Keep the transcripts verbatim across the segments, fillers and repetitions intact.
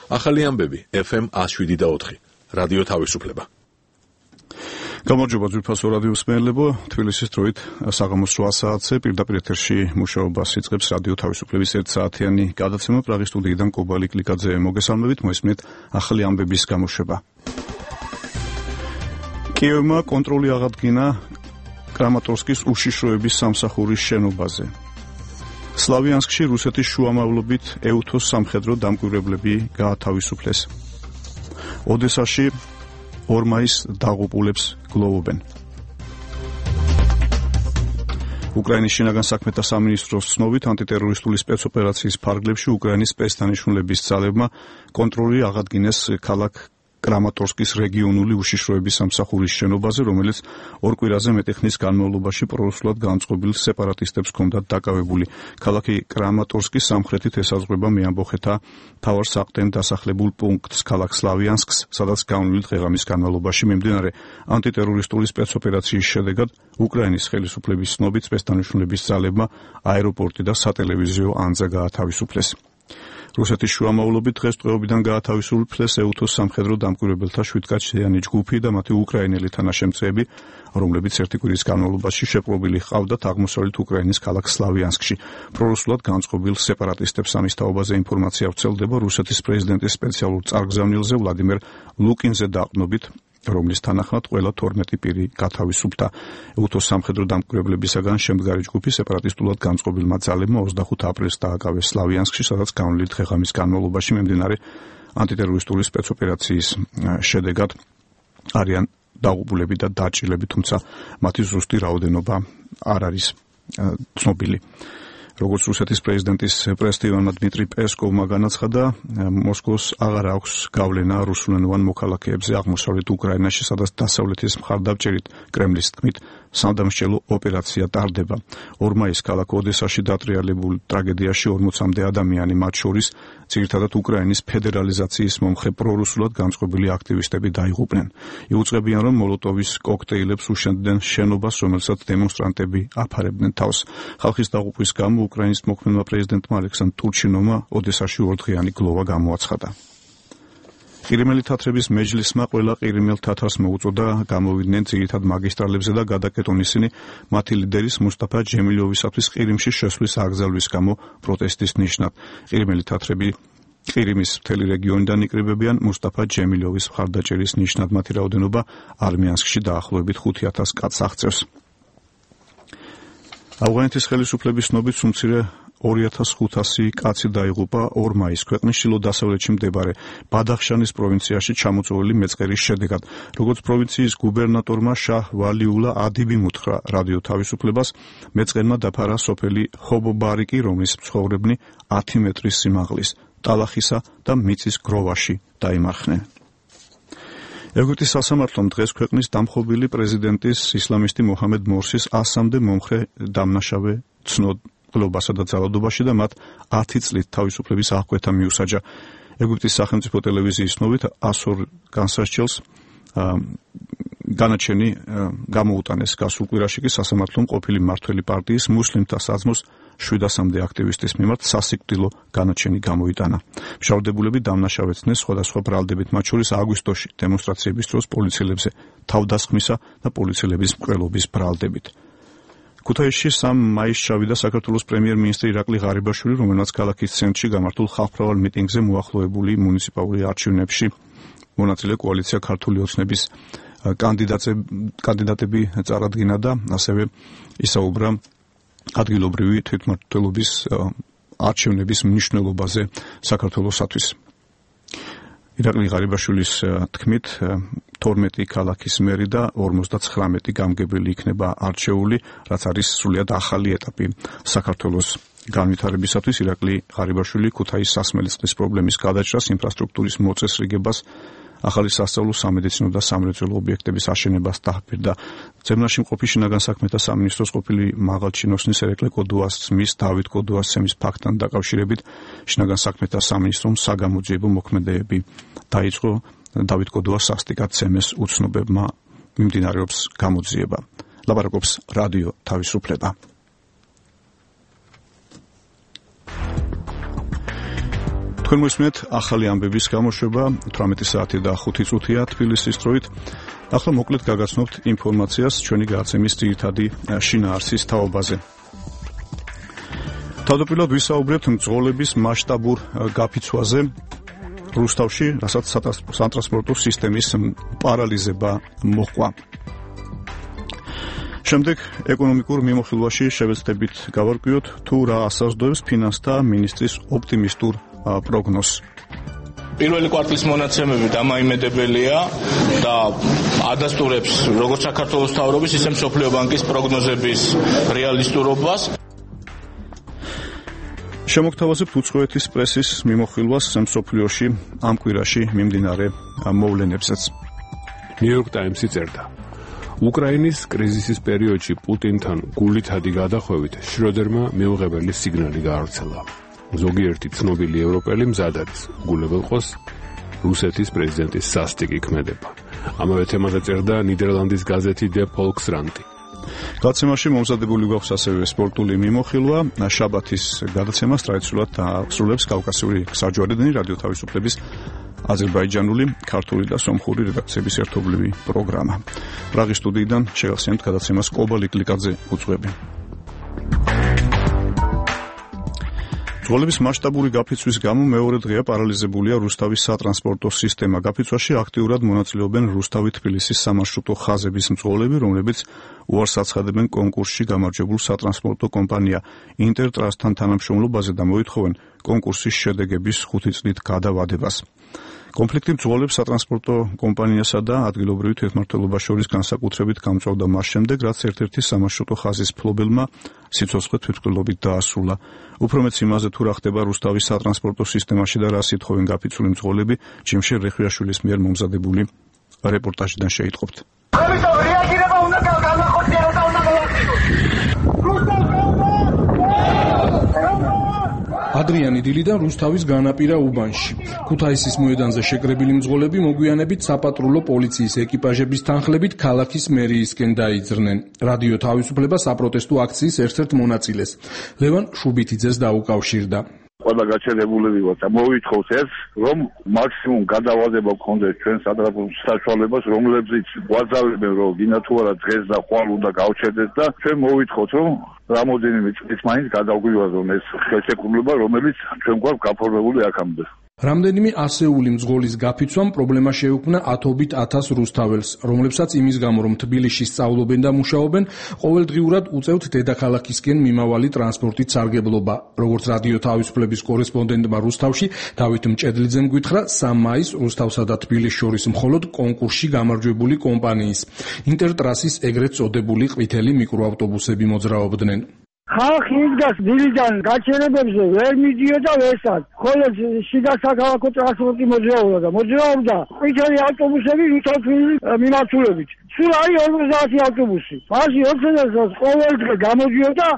ახალი ამბები ეფ ემ one oh seven point four რადიო თავისუფლება. გამარჯობა ძვირფასო რადიო მსმენელებო, თბილისის დროით საღამოს რვა საათზე პირდაპირ ეთერში მუშაობას იწყებს რადიო თავისუფლების ერთ საათიანი გადაცემა პრაღის სტუდიიდან კობალი კლიკაძე მოგესალმებით, მოისმენთ ახალი ამბების გამოშვება. კიევმა კონტროლი აღადგინა კრამატორსკის უშიშროების სამსახურის შენობაზე. სლავიანსკში რუსეთის შუამავლობით ეუთოს სამხედრო დამკვირვებლები გაათავისუფლეს. ოდესაში ორმაის დაღუპულებს გლოვობენ. უკრაინის შინაგან საქმეთა სამინისტროს ცნობით ანტიტერორისტული სპეცოპერაციის ფარგლებში უკრაინის სპეცდანიშნულების ძალებმა კონტროლი აღადგინეს ქალაქ კრამატორსკის რეგიონული უშიშროების სამსახურის შენობაზე, რომელიც ორ კვირაზე მეტი ხნის განმავლობაში პრორუსულად განწყობილ სეპარატისტებს ჰქონდათ დაკავებული. ქალაქი კრამატორსკის სამხრეთით ესაზღვრება მეამბოხეთა მთავარ საყრდენ დასახლებულ პუნქტს ქალაქ სლავიანსკს, სადაც განვლილი დღე-ღამის განმავლობაში მიმდინარე ანტიტერორისტული სპეცოპერაციის შედეგად უკრაინის ხელისუფლების ცნობით სპეცდანიშნულების ძალებმა აეროპორტი და სატელევიზიო ანძა გაათავისუფლეს. რუსეთის შუამავლობით დღესდღეობიდან გაათავისუფლეს ეუთოს სამხედრო დამკვირვებელთა შვიდკაციანი ჯგუფი და მათი უკრაინელი თანაშემწეები, რომლებიც ერთი კვირის განმავლობაში შეპყრობილი ჰყავდათ აღმოსავლეთ უკრაინის ქალაქ სლავიანსკში. პრორუსულად განწყობილ სეპარატისტებს ამის თაობაზე ინფორმაცია ვრცელდება რუსეთის პრეზიდენტის სპეციალურ წარგზავნილზე ვლადიმერ ლუკინზე დაყრდნობით, რომლის თანახმად ყველა თორმეტი პირი გათავისუფლდა. ეუთოს სამხედრო დამკვირვებლებისაგან შემდგარი ჯგუფი სეპარატისტულად განწყობილმა ძალებმა ოცდახუთ აპრილს დააკავეს სლავიანსკში, სადაც განვლილი დღე-ღამის განმავლობაში მიმდინარე ანტიტერორისტული სპეცოპერაციის შედეგად არიან დაღუპულები და დაჭრილები, თუმცა მათი ზუსტი რაოდენობა არ არის ცნობილი. როგორც რუსეთის პრეზიდენტის პრესდივანმა დმიტრი პესკოვმა განაცხადა, მოსკოვს აღარ აქვს გავლენა რუსულენოვან მოქალაქეებზე აღმოსავლეთ უკრაინაში, სადაც დასავლეთის მხარდამჭერით კრემლის თქმით სამდამსჯელო ოპერაცია ტარდება. ორ მაისს ქალაქ ოდესაში დატრიალებულ ტრაგედიაში ორმოცამდე ადამიანი, მათ შორის ძირითადად უკრაინის ფედერალიზაციის მომხრე პრორუსულად განწყობილი აქტივისტები დაიღუპნენ. იუწყებიან, რომ მოლოტოვის კოქტეილებს უშენდნენ შენობას, რომელსაც დემონსტრანტები აფარებდნენ თავს. ხალხის დაღუპვის გამო უკრაინის მოქმედმა პრეზიდენტმა ალექსანდრ ტურჩინოვმა ოდესაში ორდღიანი გლოვა გამოაცხადა. ყირიმელი თათრების მეჯლისმა ყველა ყირიმელ თათარს მოუწოდა გამოვიდნენ ძირითად მაგისტრალებზე და გადაკეტონ ისინი მათი ლიდერის მუსტაფა ჯემილოვისათვის ყირიმში შესვლის აკრძალვის გამო პროტესტის ნიშნად. ყირიმელი თათრები ყირიმის მთელი რეგიონიდან იკრიბებიან მუსტაფა ჯემილოვის მხარდაჭერის ნიშნად. მათი რაოდენობა არმიანსკში დაახლოებით ხუთი ათას კაცს აღწევს. ავღანეთის ხელისუფლების ცნობით სუმცირე ორი ათას ხუთასი კაცი დაიღუპა ორ მაისს ქვეყნის ჩრდილო-დასავლეთში მდებარე ბადახშანის პროვინციაში ჩამოწვეული მეწყერის შედეგად. როგორც პროვინციის გუბერნატორმა შაჰ ვალიულა ადიბი უთხრა რადიო თავისუფლებას, მეწყერმა დაფარა სოფელი ჰობობარიკი, რომლის მცხოვრებნი ათი მეტრის სიმაღლის, ტალახისა და მიწის გროვაში დაიმარხნენ. ეგვიპტის სასამართლომ დღეს ქვეყნის დამხობილი პრეზიდენტის ისლამისტი მოჰამედ მორსის ასამდე მომხრე დამნაშავე ცნოდ გლობასა და ძალადობაში და მათ ათი წლით თავისუფლების აღკვეთა მიუსაჯა. ეგვიპტის სახელმწიფო ტელევიზიის ცნობით ასორ განსასჯელს განაჩენი გამოუტანეს გასულ კვირაში კი სასამართლომ ყოფილი მმართველი პარტიის მუსლიმთა საძმოს შვიდასამდე აქტივისტის მიმართ სასიკვდილო განაჩენი გამოიტანა. მშავდებულები დამნაშავეცნეს სხვადასხვა ბრალდებით, მათ შორის აგვისტოში დემონსტრაციების დროს პოლიციელებზე თავდასხმისა და პოლიციელების მკვლელობის ბრალდებით. ქუთაისში სამ მაისს ჩავიდა საქართველოს პრემიერ-მინისტრი ირაკლი ღარიბაშვილი, რომელმაც ქალაქის ცენტრში გამართულ ხალხმრავალ მიტინგზე მოახლოებული მუნიციპალური არჩევნებში მონაწილე კოალიცია ქართული ოცნების კანდიდატები წარადგინა და ასევე ისაუბრა ადგილობრივი თვითმმართველობის არჩევნების მნიშვნელობაზე საქართველოსათვის. ირაკლი ღარიბაშვილის თქმით, თორმეტი ქალაქის მერი და ორმოცდაცხრამეტი გამგებელი იქნება არჩეული, რაც არის სრულიად ახალი ეტაპი საქართველოს განვითარებისათვის. ირაკლი ღარიბაშვილი ქუთაის სასმელისწყლის პრობლემის გადაჭრას, ინფრასტრუქტურის მოწესრიგებას, ახალი სასწავლო, სამედიცინო და სამრეწველო ობიექტების აშენებას დაჰპირდა. ძებნაში მყოფი შინაგან საქმეთა სამინისტროს ყოფილი მაღალჩინოსნის ერეკლე კოდუასცმის, დავით კოდუასცემის ფაქტთან დაკავშირებით შინაგან საქმეთა სამინისტრომ საგამოძიებო მოქმედებები დაიწყო. დავით კოდუას სასტიკად ცემეს უცნობებმა მიმდინარეობს გამოძიება. ლაპარაკობს რადიო თავისუფლება. თქვენ მოისმენთ ახალი ამბების გამოშვება თვრამეტი საათი და ხუთი წუთია თბილისის დროით. ახლა მოკლედ გაგაცნობთ ინფორმაციას ჩვენი გადაცემის ძირითადი შინაარსის თაობაზე. თავდაპირველად ვისაუბრებთ მძღოლების მასშტაბურ გაფიცვაზე რუსთავში, რასაც სატრანსპორტო სისტემის პარალიზება მოჰყვა. შემდეგ ეკონომიკურ მიმოხილვაში შევეცდებით გავარკვიოთ თუ რა ასაზრდოებს ფინანსთა მინისტრის ოპტიმისტურ პროგნოზს. პირველი კვარტლის მონაცემები დამაიმედებელია და ადასტურებს როგორც საქართველოს მთავრობის, ისე მსოფლიო ბანკის პროგნოზების რეალისტურობას. შემოგთავაზებთ უცხოეთის პრესის მიმოხილვას მსოფლიოში ამ კვირაში მიმდინარე მოვლენებსაც. ნიუ-იორკ ტაიმსი წერდა: უკრაინის კრიზისის პერიოდში პუტინთან გულითადი გადახვევით შროდერმა მიუღებელი სიგნალი გაავრცელა. ზოგიერთი ცნობილი ევროპელი მზად არის უგულებელყოს რუსეთის პრეზიდენტის სასტიკი ქმედება. ამავე თემაზე წერდა ნიდერლანდის გაზეთი Der Volkskrant. გადაცემაში მომზადებული გვაქვს ასევე სპორტული მიმოხილვა. შაბათის გადაცემას ტრადიციულად ასრულებს კავკასიური საჯვარედინი რადიო თავისუფლების აზერბაიჯანული, ქართული და სომხური რედაქციების ერთობლივი პროგრამა. პრაღის სტუდიიდან შეგახსენებთ გადაცემას კობალი კლიკაძე უძღვები. მძღოლების მასშტაბური გაფიცვის გამო მეორე დღეა პარალიზებულია რუსთავის სატრანსპორტო სისტემა. გაფიცვაში აქტიურად მონაწილეობენ რუსთავი-თბილისის სამარშრუტო ხაზების მძღოლები, რომლებიც უარს აცხადებენ კონკურსში გამარჯვებულ სატრანსპორტო კომპანია ინტერტრასთან თანამშრომლობაზე და მოითხოვენ კონკურსის შედეგების ხუთი წლით გადავადებას. კონფლიქტი მძღოლებს სატრანსპორტო კომპანიასა და ადგილობრივი თვითმმართველობას შორის განსაკუთრებით გამწვავდა მას შემდეგ, რაც ერთ-ერთი სამარშრუტო ხაზის მფლობელმა სიცოცხლე თვითმკვლელობით დაასრულა. უფრო მეც იმაზე თუ რა ხდება რუსთავის სატრანსპორტო სისტემაში და რა სითხოვენ გაფიცული მძღოლები, ჯიმშერ რეხვიაშვილის მიერ მომზადებული რეპორტაჟიდან შეიტყობთ. რეაგირება უნდა განახორციელოს და უნდა ადრიანი დილიდან რუსთავის განაპირა უბანში. ქუთაისის მოედანზე შეკრებილი მძღოლები მოგვიანებით საპატრულო პოლიციის ეკიპაჟების თანხლებით ქალაქის მერიისკენ დაიძრნენ. რადიო თავისუფლება საპროტესტო აქციის ერთ-ერთ მონაწილეს, ლევან შუბითიძეს დაუკავშირდა. ყველა გაჩერებულები ვართ და მოვითხოვს ეს, რომ მაქსიმუმ გადავადება გქონდეს ჩვენ სატრანსპორტო საშუალებას, რომლებზეც გვაძალებენ, რომ გინდა თუ არა დღეს და ხვალ უნდა გავჩერდეს და ჩვენ მოვითხოვთ, რომ რამოდენიმე წლის მაინც გადავგვივაზრონ ეს ხელშეკრულება, რომელიც ჩვენ გვაქვს გაფორმებული აქამდე. რამდენიმე ასეული მძღოლის გაფიცვამ პრობლემა შეუქმნა ათობით ათას რუსთაველს, რომლებსაც იმის გამო, რომ თბილისში სწავლობენ და მუშაობენ, ყოველდღიურად უწევთ დედაქალაქისკენ მიმავალი ტრანსპორტით სარგებლობა. როგორც რადიო თავისუფლების კორესპონდენტმა რუსთავში დავით მჭედლიძემ გითხრა, სამ მაისს რუსთავსა და თბილისს შორის მხოლოდ კონკურსში გამარჯვებული კომპანიის ინტერტრასის ეგრეთ წოდებული ყვითელი მიკროავტობუსები მოძრაობდნენ. ხალხი იდგას დილიდან გაჩერებებზე ვერ მიდიოდა ვერსაც, ხოლო შიდა საქალაქო ტრანსპორტი მოძრაობდა. მოძრაობდა ყვითელი ავტობუსები რუსთავის მიმართულებით. სულ არის ორმოცდაათი ავტობუსი. მასში ოცდაათს ყოველდღე გამოდიოდა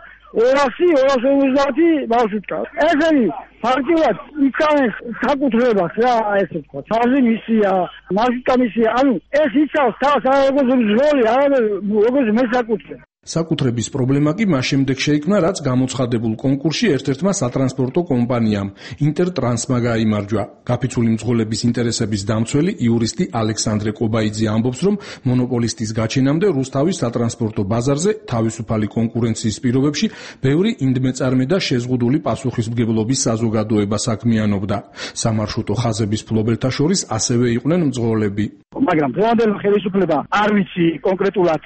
ორასი ორას ორმოცდაათი მარშრუტკა. ესენი ფაქტიურად იცავენ საკუთრებას რა, ესე ვთქვა. ფაზი მისია, მარშრუტკა მისია. ანუ ეს იცავს თავს არა როგორც მძღოლი, არამედ როგორც მესაკუთრე. საკუთრების პრობლემა კი მას შემდეგ შეიქმნა, რაც გამოცხადებულ კონკურსში ერთ-ერთმა სატრანსპორტო კომპანიამ ინტერტრანსმა გაიმარჯვა. გაფიცული მძღოლების ინტერესების დამცველი იურისტი ალექსანდრე კობაიძე ამბობს, რომ მონოპოლისტის გაჩენამდე რუსთავის სატრანსპორტო ბაზარზე თავისუფალი კონკურენციის პირობებში ბევრი ინდმეწარმე და შეზღუდული პასუხისმგებლობის საზოგადოება საქმიანობდა. სამარშრუტო ხაზების მფლობელთა შორის ასევე იყვნენ მძღოლები. მაგრამ დღევანდელი ხელისუფლება არ ვიცი კონკრეტულად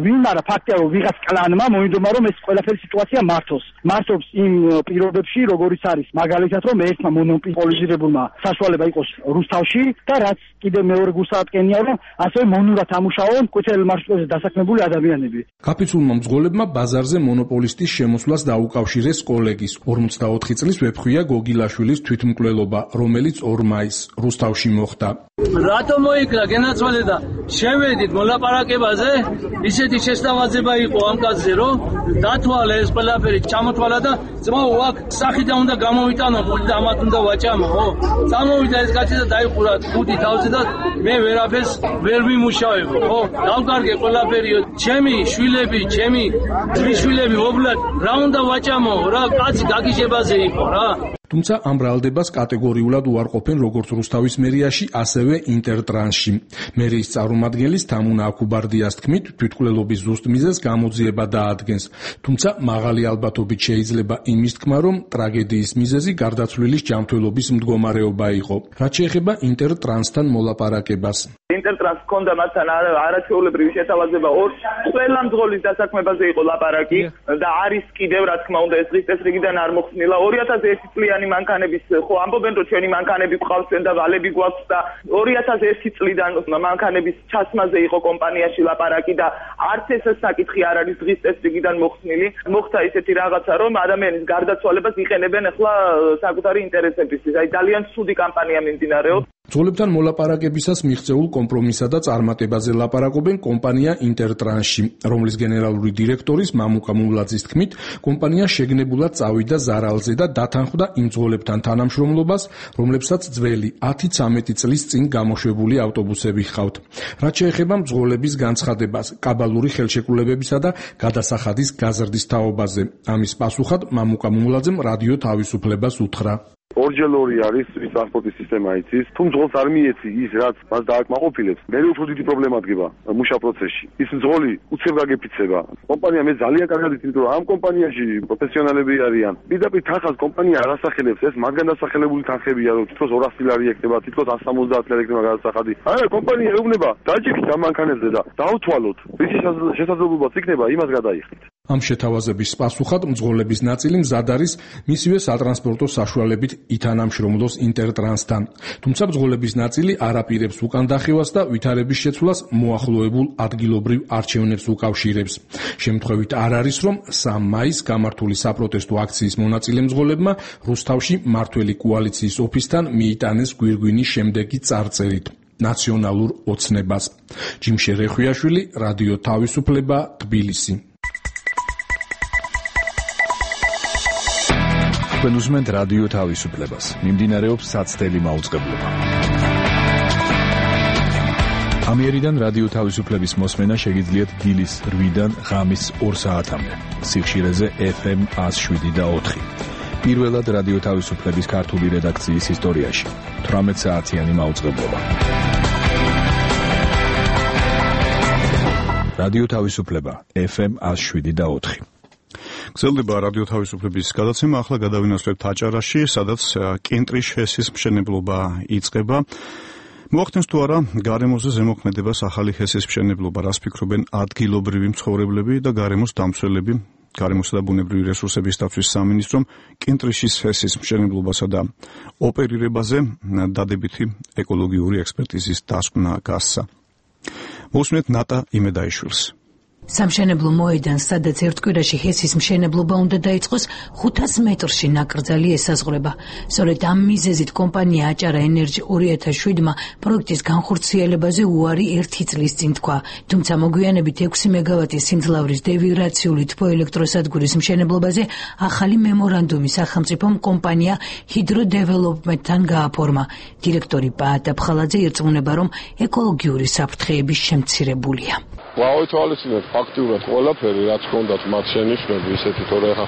ვინ, მაგრამ ფაქტია, რომ ვიღაც კლანმა მოინდომა, რომ ეს ყველაფერი სიტუაცია მართოს. მართობს იმ პირობებში, როგორიც არის მაგალითად, რომ ერთმა მონოპოლიზირებულმა საშუალება იყოს რუსთავში და რაც კიდევ მეორე გულსაატკენია, რომ ასევე მონურად ამუშაონ ყვითელ მარშრუტებზე დასაქმებული ადამიანები. გაფიცულმა მძღოლებმა ბაზარზე მონოპოლისტის შემოსვლას დაუკავშირეს კოლეგის ორმოცდაოთხი წლის ვეფხვია გოგილაშვილის თვითმკვლელობა, რომელიც ორ მაისს რუსთავში მოხდა. რატო მოიქრა გენაცვალე და შევედით მოლაპარაკებაზე? ისეთი შესთავაზება იყო ამ კაცზე, რომ დათვალე ეს ყველაფერი ჩამოთვალა და ძმაო აქ სახიდან უნდა გამოვიტანო, ხუთი და ამათ უნდა ვაჭამო, ხო? წამოვიდა ეს კაცი და დაიხურა ხუთი თავზე და მე ვერაფერს ვერ ვიმუშავებ, ხო? დავკარგე ყველაფერი, ჩემი შვილები, ჩემი ძმისშვილები, ობლად, რა უნდა ვაჭამო, რა კაცი გაგიჟებაზე იყო, რა. თუმცა ამ ბრალდებას კატეგორიულად უარყოფენ როგორც რუსთავის მერიაში, ასევე ინტერტრანსში. მერიის წარმომადგენლის თამუნა აკუბარდიას თქმით, თვითმკვლელობის ზუსტ მიზეზს გამოძიება დაადგენს. თუმცა მაღალი ალბათობით შეიძლება იმის თქმა, რომ ტრაგედიის მიზეზი გარდაცვლილის ჯანმრთელობის მდგომარეობა იყო. რაც შეეხება ინტერტრანსთან მოლაპარაკებას. ინტერტრანს ჰქონდა მასთან არაჩვეულებრივი შეთავაზება ორ ყველა მძღოლის დასაქმებაზე იყო ლაპარაკი და არის კიდევ რა თქმა უნდა ეს დღის წესრიგიდან არ მოხსნილა. ორი ათას ერთი წლიანი მანქანების ხო ამბობენ რომ ჩვენი მანქანები გვყავსენ და ვალები გვაქვს და ორი ათას ერთი წლიდან მანქანების ჩასმაზე იყო კომპანიაში ლაპარაკი და არც ეს საკითხი არ არის დღის წესრიგიდან მოხსნილი. მოხდა ისეთი რაღაცა რომ ადამიანის გარდაცვალებას იყენებენ ახლა საკუთარი ინტერესებისთვის. აი ძალიან ცუდი კამპანია მიმდინარეობს. მძღოლებთან მოლაპარაკებისას მიღწეულ კომპრომისსა და წარმატებაზე ლაპარაკობენ კომპანია ინტერტრანსში, რომლის გენერალური დირექტორის მამუკა მულაძის თქმით, კომპანია შეგნებულად წავიდა ზარალზე და დათანხმდა იმ მძღოლებთან თანამშრომლობას, რომლებსაც ძველი ათი ცამეტი წლის წინ გამოშვებული ავტობუსები ჰყავთ. რაც შეეხება მძღოლების განცხადებას, კაბალური ხელშეკრულებებისა და გადასახადის გაზრდის თაობაზე, ამის პასუხად მამუკა მულაძემ რადიო თავისუფლებას უთხრა. ორჯერ-ორი არის ის ტრანსპორტის სისტემა იცის, თუ მძღოლს არ მიეცი ის, რაც მას დააკმაყოფილებს, მე უფრო დიდი პრობლემა დგება მუშა პროცესში. ის მძღოლი უცებ გაგეფიცება. კომპანია მე ძალიან კარგად ვიცი, რომ ამ კომპანიაში პროფესიონალები არიან. პირდაპირ თანხას კომპანია არ ასახელებს, ეს მაგან დასახელებული თანხებია, რომ თითქოს ორასი ლარი ექნება, თითქოს εκατს სამოცდაათი ლარი ექნება გადასახადი. არა, კომპანია ეუბნება, დაჭიქით ამ მანქანებზე და დავთვალოთ. რისი შესაძლებლობაც იქნება, იმას გადაიხდით. ამ შეთავაზების პასუხად მძღოლების ნაწილი მზად არის მისივე სატრანსპორტო საშუალებით ითანამშრომლოს ინტერტრანსთან. თუმცა მძღოლების ნაწილი არ აპირებს უკან დახევას და ვითარების შეცვლას მოახლოებულ ადგილობრივ არჩევნებს უკავშირებს. შემთხვევით არ არის, რომ სამი მაისს გამართული საპროტესტო აქციის მონაწილე მძღოლებმა რუსთავში მართველი კოალიციის ოფისთან მიიტანეს გვირგვინის შემდეგი წარწერით. ნაციონალურ ოცნებას. ჯიმშე რეხვიაშვილი, რადიო თავისუფლება, თბილისი. თქვენ უსმენთ რადიო თავისუფლებას. მიმდინარეობს საცდელი მაუწყებლობა. ამიერიდან რადიო თავისუფლების მოსმენა შეგიძლიათ დილის რვიდან ღამის ორ საათამდე. სიხშირეზე ეფ ემ εκατს შვიდი და ოთხი. პირველად რადიო თავისუფლების ქართული რედაქციის ისტორიაში. თვრამეტ საათიანი მაუწყებლობა. რადიო თავისუფლება ეფ ემ εκατს შვიდი და ოთხი. გრძელდება რადიო თავისუფლების გადაცემა. ახლა გადავინაცვლებთ აჭარაში, სადაც კენტრის ჰესის მშენებლობა იწყება. მოახდენს თუ არა გარემოზე ზემოქმედებას ახალი ჰესის მშენებლობა, რას ფიქრობენ ადგილობრივი მცხოვრებლები და გარემოს დამცველები? გარემოსა და ბუნებრივი რესურსების დაცვის სამინისტრომ კენტრიშის ჰესის მშენებლობასა და ოპერირებაზე დადებითი ეკოლოგიური ექსპერტიზის დასკვნა გასცა. მოსმენთ ნატა იმედაიშვილს. სამშენებლო მოედანს, სადაც ერთ კვირაში ჰესის მშენებლობა უნდა დაიწყოს, ხუთას მეტრში ნაკრძალი ესაზღვრება. სწორედ ამ მიზეზით კომპანია აჭარა ენერჯი ორი ათას შვიდმა პროექტის განხორციელებაზე უარი ერთი წლის წინ თქვა. თუმცა მოგვიანებით ექვსი მეგავატის სიმძლავრის დევიბრაციული თბოელექტროსადგურის მშენებლობაზე ახალი მემორანდუმი სახელმწიფომ კომპანია ჰიდრო დეველოპმენტთან გააფორმა. დირექტორი პაატა ფხალაძე ირწმუნება, რომ ეკოლოგიური საფრთხეები შემცირებულია. ვავითვალისწინეთ ფაქტიურად ყველაფერი, რაც ჰქონდათ მათ შენიშვნები, ისეთი თორე ხა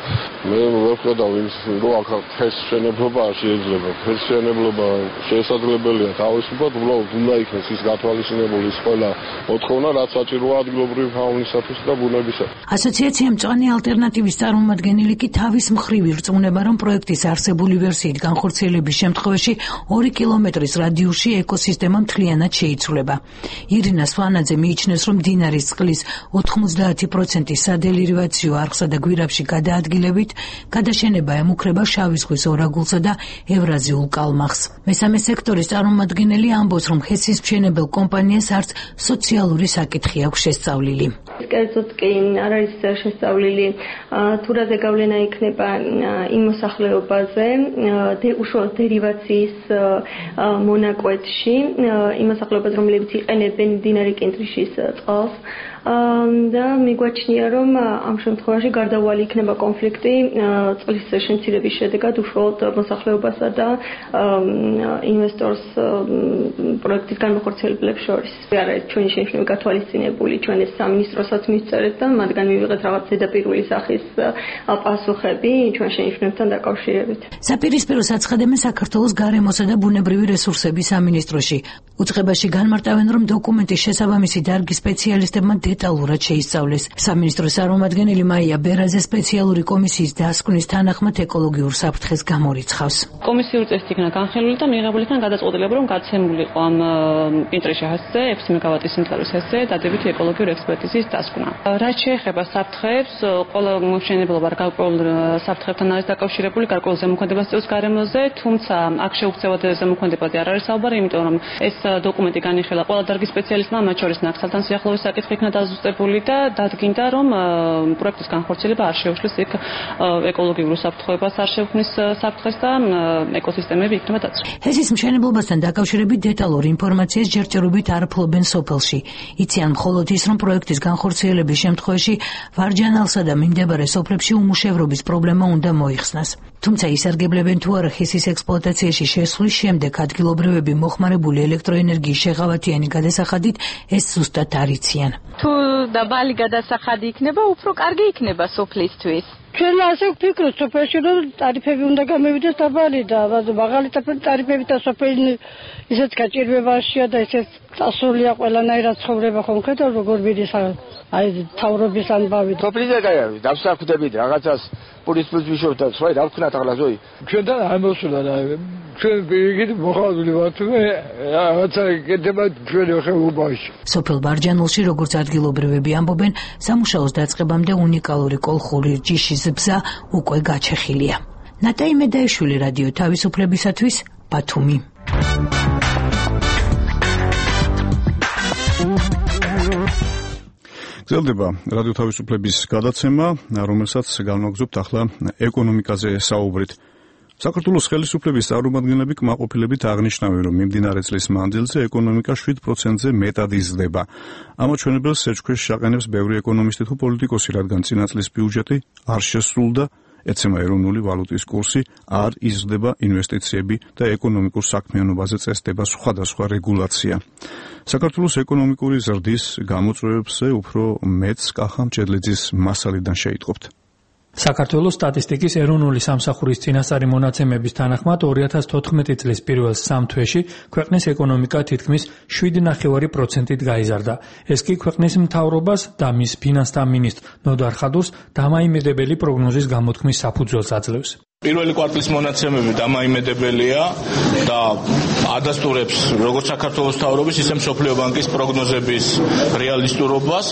მე ვერ ხედავ იმის, რომ აქ ჰეს შენებლობა არ შეიძლება. ჰეს შენებლობა შესაძლებელია თავისუფლად, უბრალოდ უნდა იქნეს ის გათვალისწინებული ის ყველა მოთხოვნა, რაც საჭიროა ადგილობრივი ფაუნისათვის და ბუნებისათვის. ასოციაცია მწვანე ალტერნატივის წარმომადგენელი კი თავის მხრივ ირწმუნება, რომ პროექტის არსებული ვერსიით განხორციელების შემთხვევაში ორი კილომეტრის რადიუსში ეკოსისტემა მთლიანად შეიცვლება. ირინა სვანაძე მიიჩნევს, რომ მდინარის წყლის ოთხმოცდაათი პროცენტი სადელივაციო არხსა და გვირაბში გადაადგილებით, გადაშენება ემუქრება შავი ზღვის ორაგულსა და ევრაზიულ კალმახს. მესამე სექტორის წარმომადგენელი ამბობს, რომ ჰესის მშენებელ კომპანიას არც სოციალური საკითხი აქვს შესწავლილი. კერძოდ კი არ არის შესწავლილი თუ რაზე გავლენა იქნება იმ მოსახლეობაზე უშუალოდ დერივაციის მონაკვეთში, იმ მოსახლეობაზე, რომლებიც იყენებენ მდინარე კენტრიშის წყალს. და მიგვაჩნია, რომ ამ შემთხვევაში გარდაუვალი იქნება კონფლიქტი წყლის შემცირების შედეგად უშუალოდ მოსახლეობასა და ინვესტორს პროექტის განმახორციელებლებს შორის. არ არის ჩვენი შენიშვნები გათვალისწინებული, ჩვენ ეს სამინისტროსაც მივწერეთ და მათგან მივიღეთ რაღაც ზედაპირული სახის პასუხები ჩვენ შენიშვნებთან დაკავშირებით. საპირისპირო საცხადებენ საქართველოს გარემოსა და ბუნებრივი რესურსების სამინისტროში. უწყებაში განმარტავენ, რომ დოკუმენტის შესაბამისი დარგის სპეციალისტებმა დეტალურად შეისწავლეს. სამინისტროს წარმომადგენელი მაია ბერაძე სპეციალური კომისიის დასკვნის თანახმად ეკოლოგიურ საფრთხეს გამორიცხავს. კომისიური წესით იქნა განხილული და მიიღებული იქნა გადაწყვეტილება, რომ გაცემული იყო ამ პინტრეში ჰესზე ექვსი მეგავატის სიმძლავრის ჰესზე დადებითი ეკოლოგიური ექსპერტიზის დასკვნა. რაც შეეხება საფრთხეებს, ყველა მშენებლობა გარკვეულ საფრთხებთან არის დაკავშირებული, გარკვეულ ზემოქმედებას წევს გარემოზე, თუმცა აქ შეუქცევად ზემოქმედებაზე არ არის საუბარი, იმიტომ რომ ეს დოკუმენტი განიხილა ყველა დარგის სპეციალისტმა, მათ შორის ნაკრძალთან სიახლოვის საკითხი იქნა დაზუსტებული და დადგინდა, რომ პროექტის განხორციელება არ შეუშლის იქ ეკოლოგიურ საფრთხეებას, არ შეუქმნის საფრთხეს და ეკოსისტემები იქნება დაცული. ჰესის მშენებლობასთან დაკავშირებით დეტალურ ინფორმაციას ჯერჯერობით არ ფლობენ სოფელში. იციან მხოლოდ ის, რომ პროექტის განხორციელების შემთხვევაში ვარჯანალსა და მიმდებარე სოფლებში უმუშევრობის პრობლემა უნდა მოიხსნას. თუმცა ისარგებლებენ თუ არა ჰესის ექსპლუატაციაში შესვლის შემდეგ ადგილობრივები მოხმარებული ელექტროენერგიის შეღავათიანი გადასახადით ეს ზუსტად არ იციან. თუ დაბალი გადასახადი იქნება, უფრო კარგი იქნება სოფლისთვის. ჩვენ ასე ვფიქრობთ, სოფელში რომ ტარიფები უნდა გამოვიდეს დაბალი და მაღალი ტარიფებით და სოფელი ისეთ გაჭირვებაშია და ისეთ წასულია ყველანაირად ცხოვრება ხომ ხედავ როგორ მიდის აი თავრობის ამბავი. სოფლიზე კაი არის, დავსახდებით რაღაცას პურის პლუს ვიშობთ და სხვა რა ვქნათ ახლა ზოი. ჩვენთან არ მოსულა და ჩვენ პირიქით მოხალული ვართ მე რაღაცა კეთება ჩვენი ხეობაში. სოფელ ბარჯანულში როგორც ადგილობრივები ამბობენ, სამუშაოს დაწყებამდე უნიკალური კოლხური ჯიშის ბზა უკვე გაჩეხილია. ნატაი მედაიშვილი, რადიო თავისუფლებისათვის, ბათუმი. გრძელდება რადიო თავისუფლების გადაცემა, რომელსაც განვაგრძობთ ახლა ეკონომიკაზე საუბრით. საქართველოს ხელისუფლების წარმომადგენლები კმაყოფილებით აღნიშნავენ, რომ მიმდინარე წლის მანძილზე ეკონომიკა შვიდ პროცენტზე მეტად იზრდება. ამაჩვენებელს სეჩქვეშ შეაყენებს ბევრი ეკონომისტი თუ პოლიტიკოსი, რადგან წინა წლის ბიუჯეტი არ შესრულდა, ეცემა ეროვნული ვალუტის კურსი, არ იზრდება ინვესტიციები და ეკონომიკურ საქმიანობაზე წესდება სხვადასხვა რეგულაცია. საქართველოს ეკონომიკური ზრდის გამოწვევებზე უფრო მეტს კახა მჭედლიძის მასალიდან შეიტყობთ. საქართველოს სტატისტიკის ეროვნული სამსახურის წინასწარი მონაცემების თანახმად ორი ათას თოთხმეტი წლის პირველ სამ თვეში ქვეყნის ეკონომიკა თითქმის შვიდ ნახევარი პროცენტით გაიზარდა. ეს კი ქვეყნის მთავრობას და მის ფინანსთა მინისტრ ნოდარ ხადურს დამაიმედებელი პროგნოზის გამოთქმის საფუძველს აძლევს. პირველი კვარტლის მონაცემები დამაიმედებელია და ადასტურებს როგორც საქართველოს მთავრობის, ისე მსოფლიო ბანკის პროგნოზების რეალისტურობას.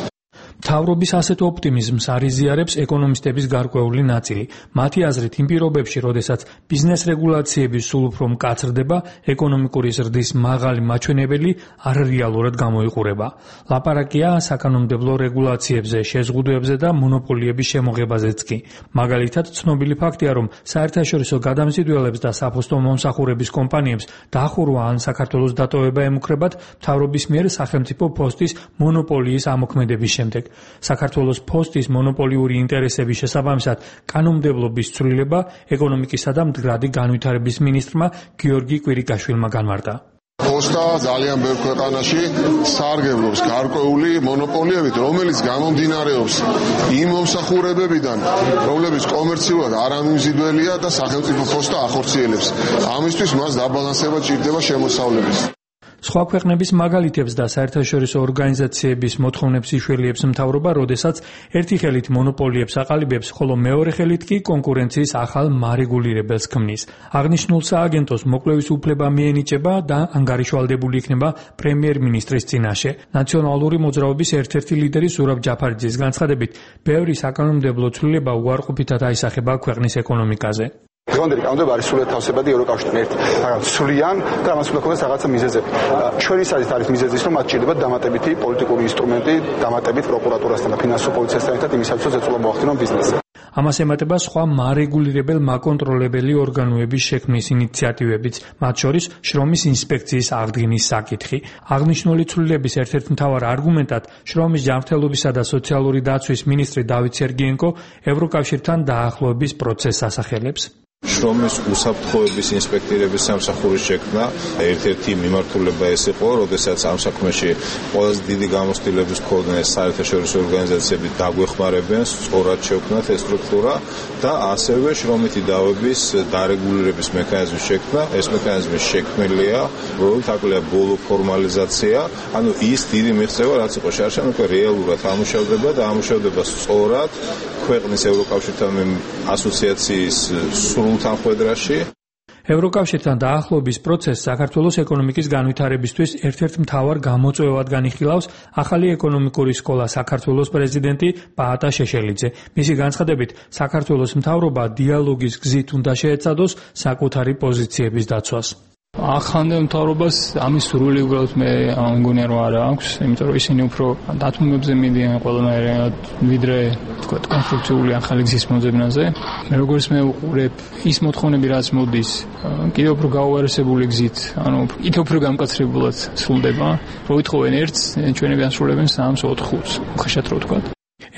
მთავრობის ასეთ ოპტიმიზმს არ იზიარებს ეკონომისტების გარკვეული ნაწილი. მათი აზრით, იმ პირობებში, როდესაც ბიზნეს რეგულაციები სულ უფრო მკაცრდება, ეკონომიკური ზრდის მაღალი მაჩვენებელი არ რეალურად გამოიყურება. ლაპარაკია საკანონმდებლო რეგულაციებზე, შეზღუდვებზე და მონოპოლიების შემოღებაზეც კი. მაგალითად, ცნობილი ფაქტია, რომ საერთაშორისო გადამზიდველებს და საფოსტო მომსახურების კომპანიებს დახურვა ან საქართველოს დატოვება ემუქრებათ მთავრობის მიერ სახელმწიფო პოსტის მონოპოლიის ამოქმედების შემდეგ. საქართველოს პოსტის მონოპოლიური ინტერესების შესაბამისად კანონმდებლობის ცვლილება ეკონომიკისა და მდგრადი განვითარების მინისტრმა გიორგი კვირიკაშვილმა განმარტა. პოსტა ძალიან ბევრ ქვეყანაში სარგებლობს გარკვეული მონოპოლიებით, რომელიც გამომდინარეობს იმ მომსახურებებიდან, რომლებიც კომერციულად არამიმზიდველია და სახელმწიფო პოსტა ახორციელებს. ამისთვის მას დაბალანსება ჭირდება შემოსავლების. სხვა ქვეყნების მაგალითებს და საერთაშორისო ორგანიზაციების მოთხოვნებს იშველიებს მთავრობა, როდესაც ერთი ხელით მონოპოლიებს აყალიბებს, ხოლო მეორე ხელით კი კონკურენციის ახალ მარეგულირებელს ქმნის. აღნიშნულ სააგენტოს მოკვლევის უფლება მიენიჭება და ანგარიშვალდებული იქნება პრემიერ-მინისტრის წინაშე. ნაციონალური მოძრაობის ერთ-ერთი ლიდერი ზურაბ ჯაფარიძის განცხადებით, ბევრი საკანონმდებლო ცვლილება უარყოფითად აისახება ქვეყნის ეკონომიკაზე. დღევანდელი კანონმდებლობა არის სრულად თავსებადი ევროკავშირთან ერთ რაღაც ცვლიან და ამას უნდა ქონდეს რაღაცა მიზეზები. ჩვენი საზით არის მიზეზი ის, რომ მათ ჭირდება დამატებითი პოლიტიკური ინსტრუმენტი, დამატებით პროკურატურასთან და ფინანსურ პოლიციასთან ერთად იმისათვის, რომ ზეწოლა მოახდინონ ბიზნესზე. ამას ემატება სხვა მარეგულირებელ მაკონტროლებელი ორგანოების შექმნის ინიციატივებიც, მათ შორის შრომის ინსპექციის აღდგენის საკითხი. აღნიშნული ცვლილების ერთ-ერთ მთავარ არგუმენტად შრომის ჯანმრთელობისა და სოციალური დაცვის მინისტრი დავით სერგიენკო ევროკავშირთან დაახლოების პროცესს ასახელებს. შრომის უსაფრთხოების ინსპექტორების სამსახურის შექმნა ერთ-ერთი მიმართულება ეს იყო, როდესაც ამ საქმეში ყველაზე დიდი გამოცდილების მქონე საერთაშორისო ორგანიზაციები დაგვეხმარებიან სწორად შევქმნათ ეს სტრუქტურა და ასევე შრომითი დავების დარეგულირების მექანიზმის შექმნა. ეს მექანიზმი შექმნილია, რომელიც აკლია ბოლო ფორმალიზაცია, ანუ ის დიდი მიღწევა, რაც იყო შარშან, უკვე რეალურად ამუშავდება და ამუშავდება სწორად ქვეყნის ევროკავშირთან ასოციაციის სრულთანხვედრაში. ევროკავშირთან დაახლოების პროცესს საქართველოს ეკონომიკის განვითარებისთვის ერთ-ერთ მთავარ გამოწვევად განიხილავს ახალი ეკონომიკური სკოლა საქართველოს პრეზიდენტი პაატა შეშელიძე. მისი განცხადებით, საქართველოს მთავრობა დიალოგის გზით უნდა შეეცადოს საკუთარი პოზიციების დაცვას. ახალ მთავრობას ამის სურვილი უბრალოდ მე მგონია რომ არ აქვს, იმიტომ რომ ისინი უფრო დათმობებზე მიდიან ყველანაირად, ვიდრე თქვა კონსტრუქციული ახალი გზის მოძებნაზე. მე როგორც მე უყურებ ის მოთხოვნები, რაც მოდის, კიდევ უფრო გაუარესებული გზით, ანუ კიდევ უფრო გამკაცრებულად სრულდება. რო ვითხოვენ ერთს, ჩვენები ასრულებენ სამს ოთხს, ხშირად რო ვთქვა.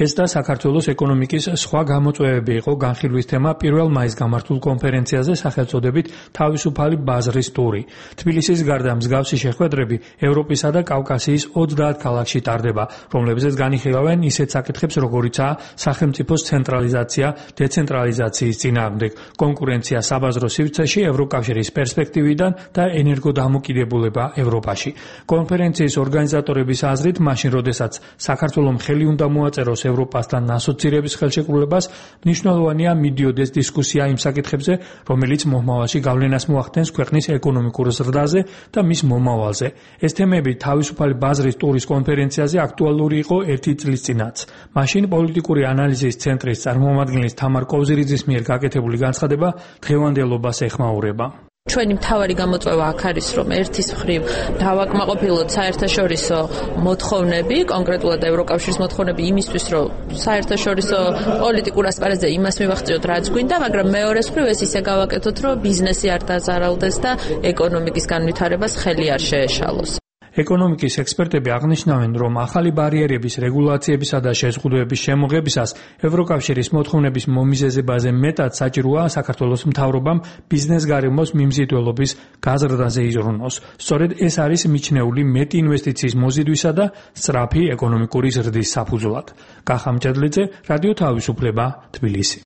ეს და საქართველოს ეკონომიკის სხვა გამოწვევები იყო განხილვის თემა პირველ მაისს გამართულ კონფერენციაზე სახელწოდებით თავისუფალი ბაზრის ტური. თბილისის გარდა მსგავსი შეხვედრები ევროპისა და კავკასიის ოცდაათ ქალაქში ტარდება, რომლებზეც განიხილავენ ისეთ საკითხებს, როგორიცაა სახელმწიფოს ცენტრალიზაცია, დეცენტრალიზაციის წინააღმდეგ, კონკურენცია საბაზრო სივრცეში ევროკავშირის პერსპექტივიდან და ენერგოდამოკიდებულება ევროპაში. კონფერენციის ორგანიზატორების აზრით, მაშინ როდესაც საქართველოს ხელი უნდა მოაწეროს ევროპასთან ასოცირების ხელშეკრულებას, მნიშვნელოვანია მიდიოდეს დისკუსია იმ საკითხებზე, რომელიც მომავალში გავლენას მოახდენს ქვეყნის ეკონომიკურ ზრდაზე და მის მომავალზე. ეს თემები თავისუფალი ბაზრის ტურის კონფერენციაზე აქტუალური იყო ერთი წლის წინაც. მაშინ პოლიტიკური ანალიზის ცენტრის წარმომადგენლის თამარ კოვზირიძის მიერ გაკეთებული განცხადება დღევანდელობას ეხმაურება. ჩვენი მთავარი გამოწვევა აქ არის, რომ ერთის მხრივ დავაკმაყოფილოთ საერთაშორისო მოთხოვნები, კონკრეტულად ევროკავშირის მოთხოვნები იმისთვის, რომ საერთაშორისო პოლიტიკურ ასპარეზზე იმას მივახციოთ, რაც გვინდა, მაგრამ მეორეს მხრივ ეს ისე გავაკეთოთ, რომ ბიზნესი არ დაზარალდეს და ეკონომიკის განვითარებას ხელი არ შეეშალოს. ეკონომიკის ექსპერტები აღნიშნავენ, რომ ახალი ბარიერების, რეგულაციებისა და შეზღუდვების შემოღებისას ევროკავშირის მოთხოვნების მომიზეზებაზე მეტად საჭიროა საქართველოს მთავრობამ ბიზნეს გარემოს მიმზიდველობის გაზრდაზე იზრუნოს. სწორედ ეს არის მიჩნეული მეტი ინვესტიციის მოზიდვისა და სწრაფი ეკონომიკური ზრდის საფუძვლად. კახა მჭედლიძე, რადიო თავისუფლება, თბილისი.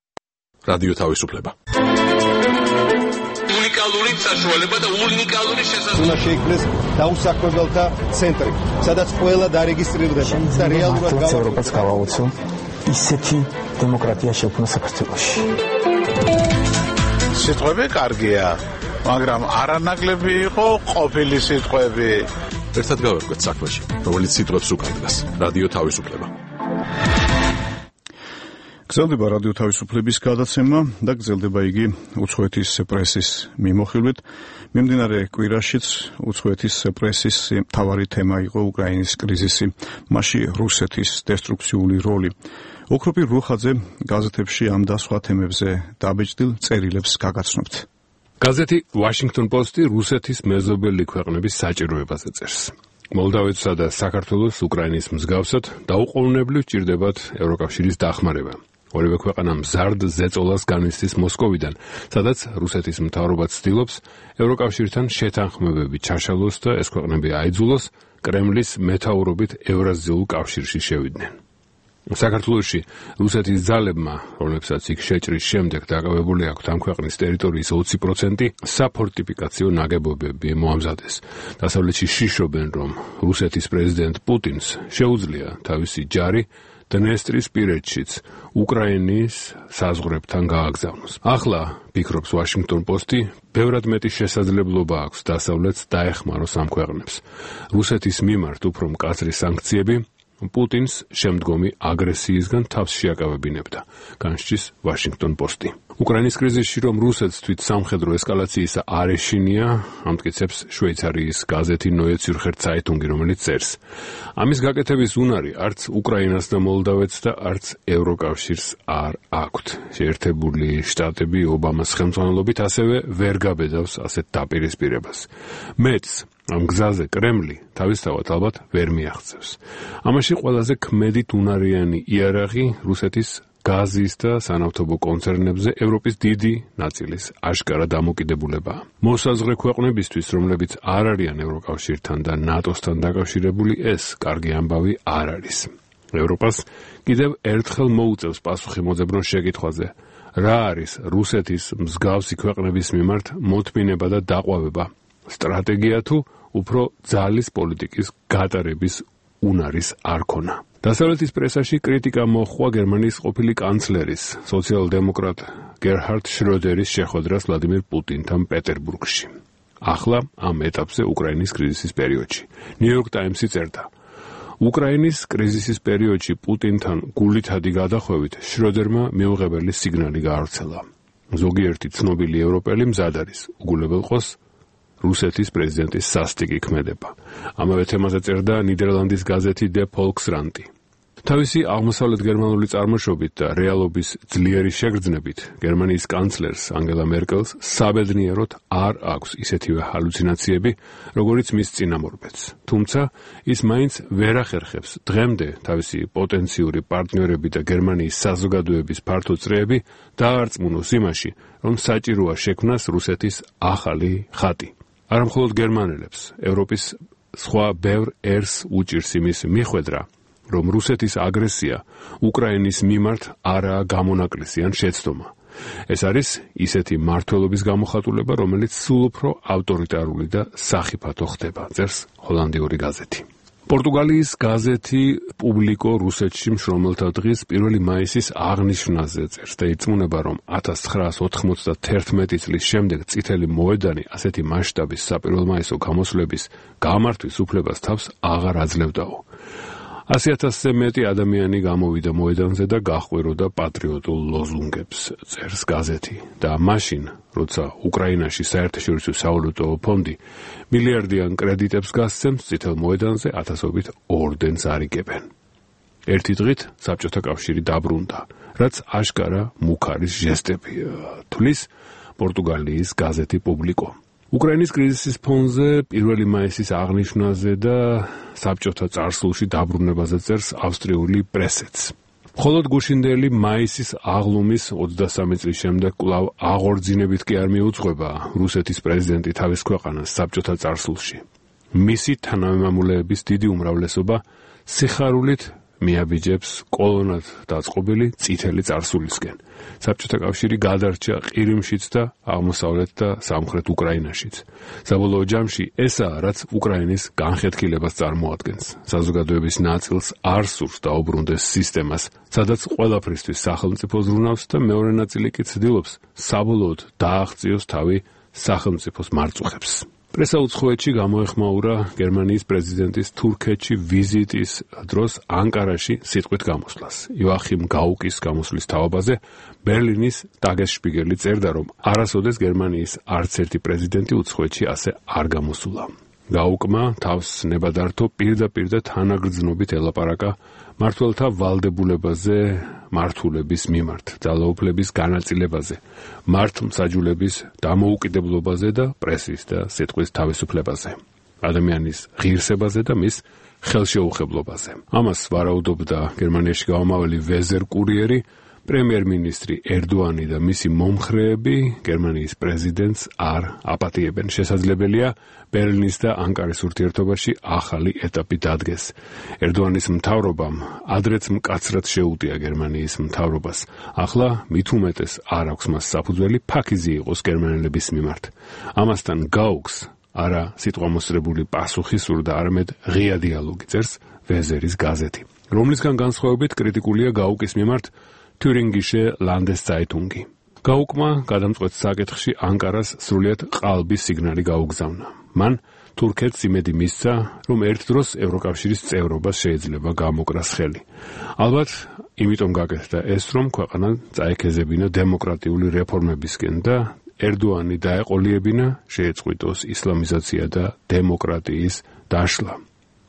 რადიო თავისუფლება. უნიკალური საშუალება და უნიკალური შესაძლებლობა. უნდა შეიქმნეს დაუსაქმებელთა ცენტრი, სადაც ყველა დარეგისტრირდება და რეალურად ევროპას გავაოცო ისეთი დემოკრატია შექმნა საქართველოში. სიტყვები კარგია, მაგრამ არანაკლები იყო ყოფილი სიტყვები. ერთად გავერკვეთ საქმეში, რომელიც სიტყვებს უკარგავს. რადიო თავისუფლება. გრძელდება რადიო თავისუფლების გადაცემა და გრძელდება იგი უცხოეთის პრესის მიმოხილვით. მიმდინარე კვირაშიც უცხოეთის პრესის მთავარი თემა იყო უკრაინის კრიზისი, მასში რუსეთის დესტრუქციული როლი. ოქროპი რუხაძე გაზეთებში ამ და სხვა თემებზე დაბეჭდილ წერილებს გაგაცნობთ. გაზეთი Washington Post-ი რუსეთის მეზობელი ქვეყნების საჭიროებაზე წერს. მოლდავეთსა და საქართველოს უკრაინის მსგავსად დაუყოვნებლივ ჭირდებათ ევროკავშირის დახმარება. ორივე ქვეყანა მზარდ ზეწოლას განვისდის მოსკოვიდან, სადაც რუსეთის მთავრობა ცდილობს ევროკავშირთან შეთანხმებები ჩაშალოს და ეს ქვეყნები აიძულოს კრემლის მეთაურობით ევრაზიულ კავშირში შევიდნენ. საქართველოში რუსეთის ძალებმა, რომლებსაც იქ შეჭრის შემდეგ დაკავებული აქვთ ამ ქვეყნის ტერიტორიის ოცი პროცენტი, საფორტიფიკაციო ნაგებობები მოამზადეს. დასავლეთში შიშობენ, რომ რუსეთის პრეზიდენტ პუტინს შეუძლია თავისი ჯარი დნესტრისპირეთშიც უკრაინის საზღვრებთან გააგზავნოს. ახლა, ფიქრობს Washington Post-ი, ბევრად მეტი შესაძლებლობა აქვს დასავლეთს დაეხმაროს ამ ქვეყნებს. რუსეთის მიმართ უფრო მკაცრი სანქციები პუტინს შემდგომი აგრესიისგან თავს შეაკავებინებდა, განსჯის Washington Post-ი. უკრაინის კრიზისში რომ რუსეთს თვით სამხედრო ესკალაციისა არ ეშინია, ამტკიცებს შვეიცარიის გაზეთი Neue Zürcher Zeitung, რომელიც წერს. ამის გაკეთების უნარი არც უკრაინას და მოლდავეთს და არც ევროკავშირს არ აქვთ. შეერთებული შტატები ობამას ხელმძღვანელობით ასევე ვერ გაბედავს ასეთ დაპირისპირებას. მეც ამ გზაზე კრემლი თავისთავად ალბათ ვერ მიაღწევს. ამაში ყველაზე ქმედით უნარიანი იარაღი რუსეთის გაზის და სანავთობო კონცერნებზე ევროპის დიდი ნაწილის აშკარა დამოკიდებულებაა. მოსაზღვრე ქვეყნებისთვის, რომლებიც არ არიან ევროკავშირთან და ნატოსთან დაკავშირებული, ეს კარგი ამბავი არ არის. ევროპას კიდევ ერთხელ მოუწევს პასუხი მოძებნოს შეკითხვაზე, რა არის რუსეთის მსგავსი ქვეყნების მიმართ მოთმინება და დაყვავება, სტრატეგია თუ უფრო ძალის პოლიტიკის გატარების უნარის არ ქონა. დასავლეთის პრესაში კრიტიკა მოჰყვა გერმანიის ყოფილი კანცლერის, სოციალ-დემოკრატ გერჰარდ შროდერის შეხვედრას ვლადიმირ პუტინთან პეტერბურგში. ახლა ამ ეტაპზე უკრაინის კრიზისის პერიოდში. New York Times-ი წერდა: უკრაინის კრიზისის პერიოდში პუტინთან გულითადი გადახვევით შროდერმა მიუღებელი სიგნალი გაავრცელა. ზოგიერთი ცნობილი ევროპელი მზად არის უგულებელყოს რუსეთის პრეზიდენტის სასტიკი ქმედება. ამავე თემაზე წერდა ნიდერლანდის გაზეთი Der Volkskrant. თავისი აღმოსავლეთ გერმანული წარმოშობით და რეალობის ძლიერი შეგრძნებით გერმანიის კანცლერს ანგელა მერკელს საბედნიეროდ არ აქვს ისეთივე ჰალუცინაციები, როგორიც მის წინამორბედს. თუმცა ის მაინც ვერ ახერხებს დღემდე თავისი პოტენციური პარტნიორები და გერმანიის საზოგადოების ფართო წრეები დაარწმუნოს იმაში, რომ საჭიროა შექმნას რუსეთის ახალი ხატი. არა მხოლოდ გერმანელებს, ევროპის სხვა ბევრ ერს უჭირს იმის მიხვედრა, რომ რუსეთის აგრესია უკრაინის მიმართ არაა გამონაკლისი ან შეცდომა. ეს არის ისეთი მმართველობის გამოხატულება, რომელიც სულ უფრო ავტორიტარული და სახიფათო ხდება, წერს ჰოლანდიური გაზეთი. პორტუგალიის გაზეთი პუბლიკო რუსეთში მშრომელთა დღის პირველი მაისის აღნიშვნაზე წერს და ირწმუნება, რომ ათას ცხრაას ოთხმოცდათერთმეტი წლის შემდეგ წითელი მოედანი ასეთი მასშტაბის საპირველმაისო გამოსვლების გამართვის უფლებას თავს აღარ აძლევდაო. ასი ათასზე მეტი ადამიანი გამოვიდა მოედანზე და გაჰყვიროდა პატრიოტულ ლოზუნგებს, წერს გაზეთი. და მაშინ, როცა უკრაინაში საერთაშორისო სავალუტო ფონდი მილიარდიან კრედიტებს გასცემს, წითელ მოედანზე ათასობით ორდენს არიგებენ. ერთი დღით საბჭოთა კავშირი დაბრუნდა, რაც აშკარა მუქარის ჟესტებია, თვლის პორტუგალიის გაზეთი პუბლიკო. უკრაინის კრიზისის ფონზე პირველი მაისის აღნიშვნაზე და საბჭოთა წარსულში დაბრუნებაზე წერს ავსტრიული პრესეც. მხოლოდ გუშინდელი მაისის აღლუმის ოცდასამი წლის შემდეგ კვლავ აღორძინებით კი არ მიუძღვება რუსეთის პრეზიდენტი თავის ქვეყანას საბჭოთა წარსულში. მისი თანამემამულეების დიდი უმრავლესობა სიხარულით მიაბიჯებს კოლონად დაწყობილი წითელი წარსულისკენ. საბჭოთა კავშირი გადარჩა ყირიმშიც და აღმოსავლეთ და სამხრეთ უკრაინაშიც. საბოლოო ჯამში ესაა, რაც უკრაინის განხეთქილებას წარმოადგენს. საზოგადოების ნაწილს არ სურს დაუბრუნდეს სისტემას, სადაც ყველაფრისთვის სახელმწიფო ზრუნავს და მეორე ნაწილი კი ცდილობს საბოლოოდ დააღწიოს თავი სახელმწიფოს მარწუხებს. პრესა უცხოეთში გამოეხმაურა გერმანიის პრეზიდენტის თურქეთში ვიზიტის დროს ანკარაში სიტყვით გამოსვლას. იოახიმ გაუკის გამოსვლის თავაბაზე ბერლინის ტაგესშპიგელი წერდა, რომ არასოდეს გერმანიის არც ერთი პრეზიდენტი უცხოეთში ასე არ გამოსულა. გაუკმა თავს ნებადართო პირდაპირ და თანაგრძნობით ელაპარაკა მმართველთა ვალდებულებაზე, მართულების მიმართ, ძალაუფლების განაწილებაზე, მართლმსაჯულების დამოუკიდებლობაზე და პრესის და სიტყვის თავისუფლებაზე, ადამიანის ღირსებაზე და მის ხელშეუხებლობაზე. ამას ვარაუდობდა გერმანიაში გამომავალი ვეზერ კურიერი, პრემიერ-მინისტრი ერდოანი და მისი მომხრეები გერმანიის პრეზიდენტს არ აპატიებენ. შესაძლებელია ბერლინის და ანკარის ურთიერთობაში ახალი ეტაპი დადგეს. ერდოანის მთავრობამ ადრეც მკაცრად შეუტია გერმანიის მთავრობას. ახლა მით უმეტეს არ აქვს მას საფუძველი ფაქიზი იყოს გერმანელების მიმართ. ამასთან გაუქს არა სიტყვამოსრებული პასუხი სურდა, არამედ ღია დიალოგი, წერს ვეზერის გაზეთი, რომლისგან განსხვავებით კრიტიკულია გაუკის მიმართ თურინგიშე ლანდესცაიტუნგი. გაუკმა გადამწყვეტ საკითხში ანკარას სრულიად ყალბის სიგნალი გაუგზავნა. მან თურქეთს იმედი მისცა, რომ ერთ დროს ევროკავშირის წევრობას შეიძლება გამოკრას ხელი. ალბათ, იმიტომ გაკეთდა ეს, რომ ქვეყანა წაექეზებინა დემოკრატიული რეფორმებისკენ და ერდოანი დაეყოლიებინა, შეეწყვიტოს ისლამიზაცია და დემოკრატიის დაშლა.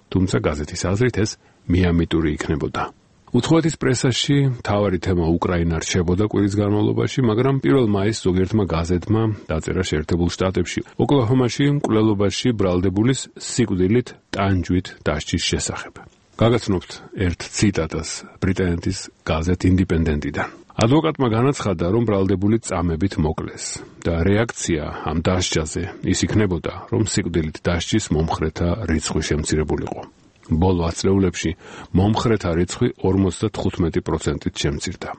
თუმცა გაზეთის აზრით ეს მიამიტური იქნებოდა. უცხოეთის პრესაში მთავარი თემა უკრაინა რჩებოდა კვირის განმავლობაში, მაგრამ პირველ მაისს ზოგიერთმა გაზეთმა დაწერა შეერთებულ შტატებში ოკლაჰომაში მკვლელობაში ბრალდებულის სიკვდილით ტანჯვით დასჯის შესახებ. გაგაცნობთ ერთ ციტატას ბრიტანეთის გაზეთ ინდიპენდენტიდან. ადვოკატმა განაცხადა, რომ ბრალდებული წამებით მოკლეს და რეაქცია ამ დასჯაზე ის იქნებოდა, რომ სიკვდილით დასჯის მომხრეთა რიცხვი შემცირებულიყო. ბოლო ათწლეულებში მომხრეთა რიცხვი ორმოცდათხუთმეტი პროცენტით შემცირდა.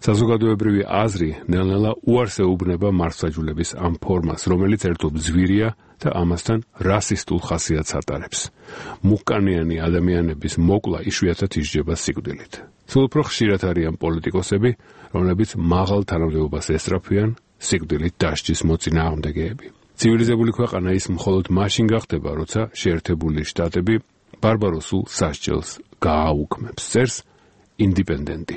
საზოგადოებრივი აზრი ნელ-ნელა უარს ეუბნება მართლმსაჯულების ამ ფორმას, რომელიც ერთობ ზვირია და ამასთან რასისტულ ხასიათს ატარებს. მუქკანიანი ადამიანების მოკლა იშვიათად ისჯება სიკვდილით. სულ უფრო ხშირად არიან პოლიტიკოსები, რომლებიც მაღალ თანამდებობას ესწრაფვიან სიკვდილით დასჯის მოწინააღმდეგეები. ცივილიზებული ქვეყანა ის მხოლოდ მაშინ გახდება, როცა შეერთებული შტატები ბარბაროსულ სასჯელს გააუქმებს. წერს ინდიპენდენტი.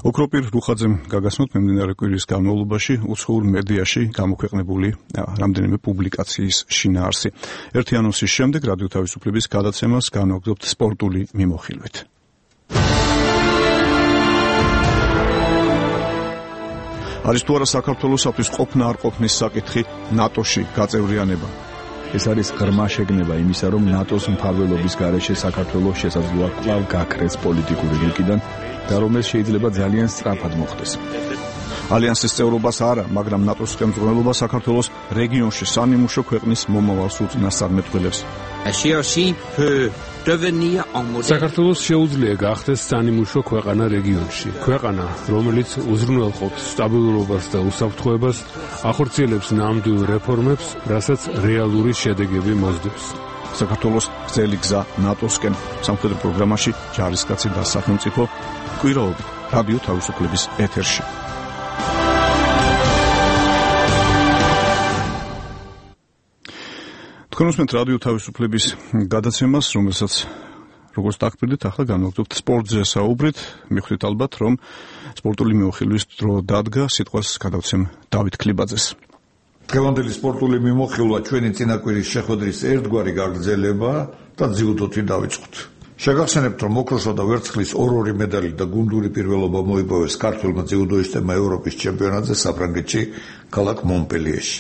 ოქროპირ რუხაძემ გაგაცნოთ მიმდინარე კვირის განმავლობაში უცხოურ მედიაში გამოქვეყნებული რამდენიმე პუბლიკაციის შინაარსი. ერთი ანონსის შემდეგ რადიო თავისუფლების გადაცემას განვაგრძობთ სპორტული მიმოხილვით. არის თუ არა საქართველოსთვის ყოფნა არ ყოფნის საკითხი ნატოში გაწევრიანება. ეს არის ღრმა შეგნება იმისა, რომ ნატოს მფარველობის გარეშე საქართველოს შესაძლოა კვლავ გაქრეს პოლიტიკური რიგიდან და რომ ეს შეიძლება ძალიან სწრაფად მოხდეს. ალიანსის წევრობას არა, მაგრამ ნატოს ხელმძღვანელობა საქართველოს რეგიონში სანიმუშო ქვეყნის მომავალს უწინასწარ მეტყველებს. საქართველოს შეუძლია გახდეს სანიმუშო ქვეყანა რეგიონში. ქვეყანა, რომელიც უზრუნველყოფს სტაბილურობას და უსაფრთხოებას, ახორციელებს ნამდვილ რეფორმებს, რასაც რეალური შედეგები მოსდევს. საქართველოს გრძელი გზა ნატოსკენ. სამხედრო პროგრამაში ჯარისკაცი და სახელმწიფო კვირაობით რადიო თავისუფლების ეთერში. თქვენ უსმენთ რადიო თავისუფლების გადაცემას, რომელსაც როგორც დაგპირდით, ახლა განვაგრძობთ სპორტზე საუბრით. მიხვდით ალბათ, რომ სპორტული მიმოხილვის დრო დადგა, სიტყვას გადავცემ დავით ქლიბაძეს. დღევანდელი სპორტული მიმოხილვა ჩვენი წინაკვირის შეხვედრის ერთგვარი გაგრძელება და ძიუდოთი დავიწყოთ. შეგახსენებთ, რომ ოქროსა და ვერცხლის ორ-ორი მედალი და გუნდური პირველობა მოიპოვეს ქართველმა ძიუდოისტებმა ევროპის ჩემპიონატზე საფრანგეთში, ქალაქ მონპელიეში.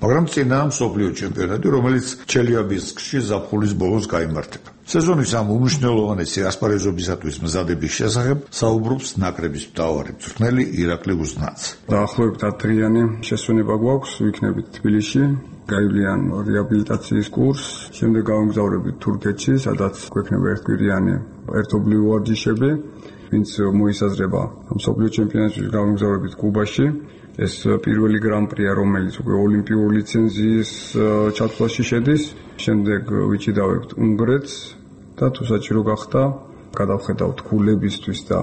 მაგრამ წინა მსოფლიო ჩემპიონატი, რომელიც ჩელიაბინსკში ზაფხულის ბოლოს გაიმართება. სეზონის ამ უმნიშვნელოვანესი ასპარეზობისათვის მზადების შესახებ საუბრობს ნაკრების მთავარი მწვრთნელი ირაკლი უზნაძე. დაახლოებით ათდღიანი შესვენება გვაქვს, ვიქნებით თბილისში, გაივლიან რეაბილიტაციის კურსს, შემდეგ გავამგზავრებით თურქეთში, სადაც გვექნება ერთკვირიანი ერთობლივი ვარჯიშები, ვინც მოისაზრება მსოფლიო ჩემპიონატში გავამგზავრებით კუბაში. ეს პირველი გრან-პრია, რომელიც უკვე ოლიმპიური ლიცენზიის ჩათვლაში შედის. შემდეგ ვიჭიდავებთ უნგრეთს და თუ საჭირო გახდა, გადავხედავთ ქულებისთვის და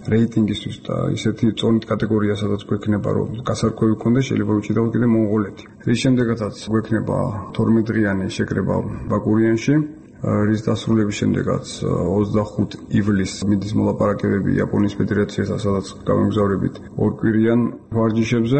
რეიტინგისთვის და ისეთი წონით კატეგორია, სადაც გვექნება რომ გასარკვევი გქონდეს, შეიძლება ვიჭიდავთ კიდე მონღოლეთი. რის შემდეგაც გვექნება თორმეტ დღიანი შეკრება ბაკურიანში. რის დასრულების შემდეგაც ოცდახუთი ივლისს მიდის მოლაპარაკებები იაპონიის ფედერაციასთან, სადაც გავამგზავრებით ორკვირიან ვარჯიშებზე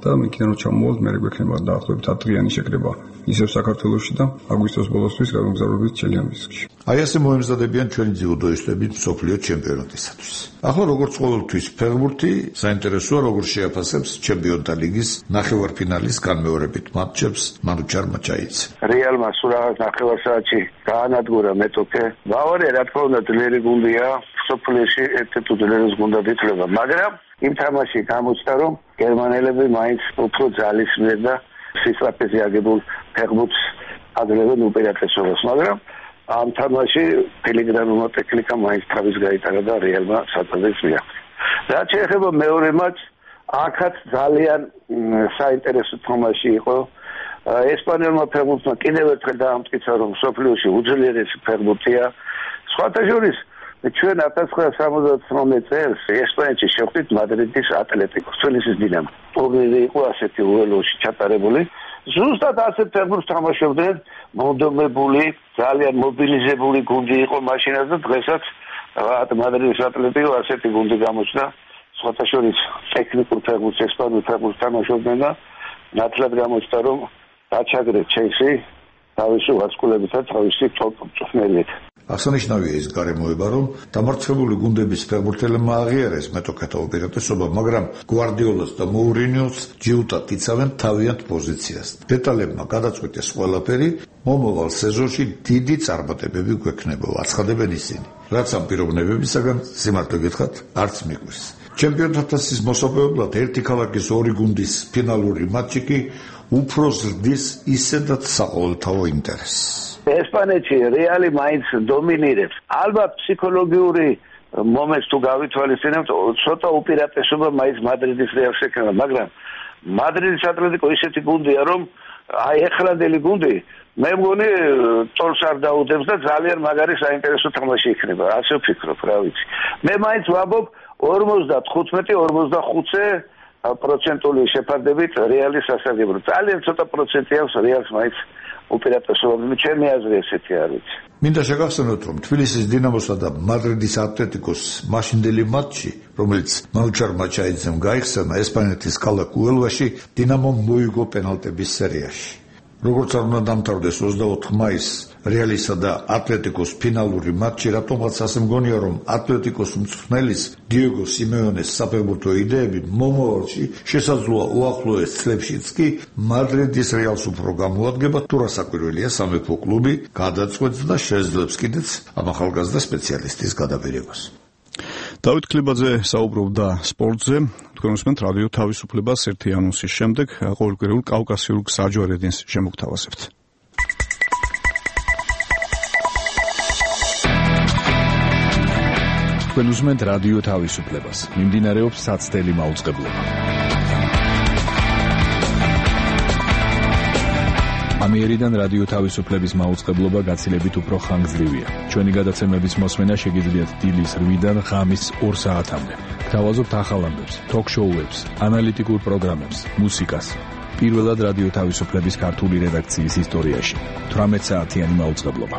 და მიქიდან რო ჩამოვალთ, მე გვექნება დაახლოებით ათდღიანი შეკრება ისევ საქართველოში და აგვისტოს ბოლოსთვის გავამგზავრებით ჩელიაბინსკში. აი ასე მოემზადებიან ჩვენი ძიუდოისტები მსოფლიო ჩემპიონატისათვის. ახლა როგორც ყოველთვის ფეხბურთი საინტერესოა, როგორ შეაფასებს ჩემპიონთა ლიგის ნახევარფინალის განმეორებით მატჩებს მანუჩარ მაჩაიძე. რეალმა სულ რაღაც ნახევარსაათში გაანადგურა მეტოქე. ბავარია რა თქმა უნდა ძლიერი გუნდია, მსოფლიოში ერთ-ერთი უძლიერეს გუნდად ითვლება, მაგრამ იმ თამაში გამოჩნდა, რომ გერმანელები მაინც უფრო ძალისმიერ და სისწრაფეზე აგებულ ფეხბურთს აძლევენ უპირატესობას, მაგრამ ამ თამაში პელეგრინომა ტექნიკა მაინც თავის გაიტარა და რეალმა საწადებს მიაღწია. რაც შეეხება მეორე მატჩს, აქაც ძალიან საინტერესო თამაში იყო. ესპანელმა ფეხბურთმა კიდევ ერთხელ დაამტკიცა, რომ მსოფლიოში უძლიერესი ფეხბურთია. სხვათა შორის ჩვენ ათას ცხრაასი სამოცდათვრამეტ წელს ესპანეთში შევხვდით მადრიდის ატლეტიკოს, თბილისის დინამო. ტურნირი იყო ასეთი უელოში ჩატარებული ზუსტად ასეთ ფეხბურთს თამაშობდნენ, მონდომებული, ძალიან მობილიზებული გუნდი იყო მაშინაც და დღესაც მადრიდის ატლეტიკო ასეთი გუნდი გამოჩნდა. სხვათა შორის ტექნიკურ ფეხბურთს, ესპანურ ფეხბურთს თამაშობდნენ და ნათლად გამოჩნდა, რომ დაჩაგრეს ჩელსი თავისი ვარსკვლავითა თავისი ტოპ მწვრთნელით. აღსანიშნავია ის გარემოება, რომ დამარცხებული გუნდების ფეხბურთელებმა აღიარეს მეტოქეთა უპირატესობა, მაგრამ გვარდიოლას და მოურინიოს ჯიუტად იცავენ თავიანთ პოზიციას. დეტალებმა გადაწყვეტეს ყველაფერი, მომავალ სეზონში დიდი წარმატებები გვექნება, აცხადებენ ისინი. რაც ამ პიროვნებებისაგან სიმართლე გითხრათ, არც მიგვრის. ჩემპიონთა თასის მოსაპოვებლად ერთი ქალაქის ორი გუნდის ფინალური მატჩი კი უფრო ზრდის ისედაც საყოველთაო ინტერესს. ესპანეთში რეალი მაინც დომინირებს. ალბათ ფსიქოლოგიური მომენტს თუ გავითვალისწინებთ, ცოტა უპირატესობა მაინც მადრიდის რეალს ექნება, მაგრამ მადრიდის ატლეტიკო ისეთი გუნდია, რომ აი ეხლანდელი გუნდი მე მგონი წოლს არ დაუდებს და ძალიან მაგარი საინტერესო თამაში იქნება. ასე ვფიქრობ, რა ვიცი. მე მაინც ვამბობ ორმოცდახუთმეტი ორმოცდახუთზე პროცენტული შეფარდებით რეალის სასარგებლო. ძალიან ცოტა პროცენტი აქვს რეალს მაინც უპირატესობა, ჩემი აზრი ესეთი არ ვიცი. მინდა შეგახსენოთ, რომ თბილისის დინამოსა და მადრიდის ატლეტიკოს მაშინდელი მატჩი, რომელიც მაუჩარ მაჩაიძემ გაიხსენა ესპანეთის ქალაქ უელვაში, დინამომ მოიგო პენალტების სერიაში. როგორც არ უნდა დამთავრდეს ოცდაოთხ მაისს რეალისა და ატლეტიკოს ფინალური მატჩი, რატომაც ასე მგონია, რომ ატლეტიკოს მწვრთნელის დიეგო სიმეონეს საფეხბურთო იდეები მომავალში შესაძლოა უახლოეს წლებშიც კი მადრიდის რეალს უფრო გამოადგება, თუ რა საკვირველია სამეფო კლუბი გადაწყვეტს და შეძლებს კიდეც ამ ახალგაზრდა სპეციალისტის გადაბირებას. დავით ქლებაძე საუბრობდა სპორტზე. თქვენ უსმენთ რადიო თავისუფლებას ერთი ანონსის შემდეგ ყოველკვირეულ კავკასიურ გსაჯვარედინს შემოგთავაზებთ. თქვენ უსმენთ რადიო თავისუფლებას. მიმდინარეობს საცდელი მაუწყებლობა. ამიერიდან რადიო თავისუფლების მაუწყებლობა გაცილებით უფრო ხანგრძლივია. ჩვენი გადაცემების მოსმენა შეგიძლიათ დილის რვიდან ღამის ორ საათამდე. გთავაზობთ ახალ ამბებს, ток-შოუებს, ანალიტიკურ პროგრამებს, მუსიკას. პირველად რადიო თავისუფლების ქართული რედაქციის ისტორიაში. თვრამეტ საათიანი მაუწყებლობა.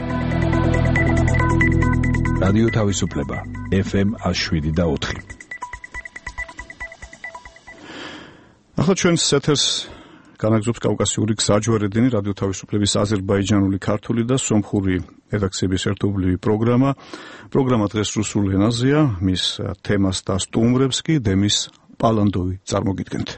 რადიო თავისუფლება ეფ ემ ათი შვიდი და ოთხი. ახლა ჩვენს ეთერს განაგზობს კავკასიური გსაჯვარედინი, რადიო თავისუფლების აზერბაიჯანული, ქართული და სომხური რედაქციების ერთობლივი პროგრამა. პროგრამა დღეს რუსულ ენაზეა, მის თემას და სტუმრებს კი დემის პალანდოვი წარმოგიდგენთ.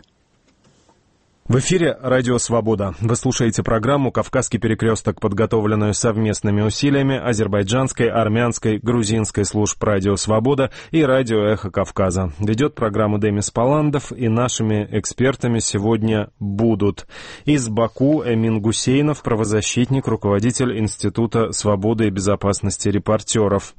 В эфире «Радио Свобода». Вы слушаете программу «Кавказский перекресток», подготовленную совместными усилиями азербайджанской, армянской, грузинской служб «Радио Свобода» и «Радио Эхо Кавказа». Ведет программу Демис Паландов, и нашими экспертами сегодня будут из Баку Эмин Гусейнов, правозащитник, руководитель Института свободы и безопасности репортеров.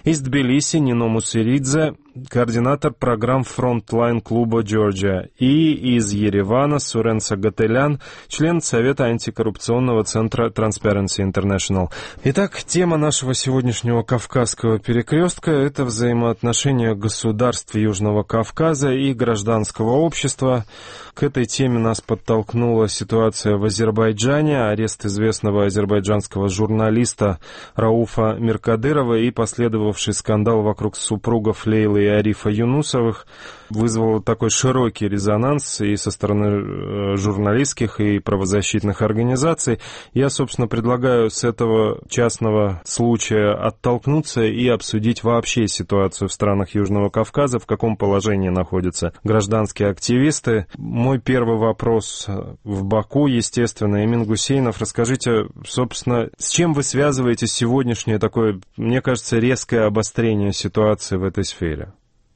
Из Тбилиси Нино Мусыридзе, координатор программ «Фронтлайн» клуба «Джорджия». И из Еревана Сурен Сагателян, член Совета антикоррупционного центра Transparency International. Итак, тема нашего сегодняшнего Кавказского перекрестка – это взаимоотношения государств Южного Кавказа и гражданского общества. К этой теме нас подтолкнула ситуация в Азербайджане, арест известного азербайджанского журналиста Рауфа Миркадырова и последовавший скандал вокруг супругов Лейлы и Арифа Юнусовых вызвал такой широкий резонанс и со стороны журналистских и правозащитных организаций. Я, собственно, предлагаю с этого частного случая оттолкнуться и обсудить вообще ситуацию в странах Южного Кавказа, в каком положении находятся гражданские активисты. Мой первый вопрос в Баку, естественно, Эмин Гусейнов. Расскажите, собственно, с чем вы связываете сегодняшнее такое, мне кажется, резкое обострение ситуации в этой сфере?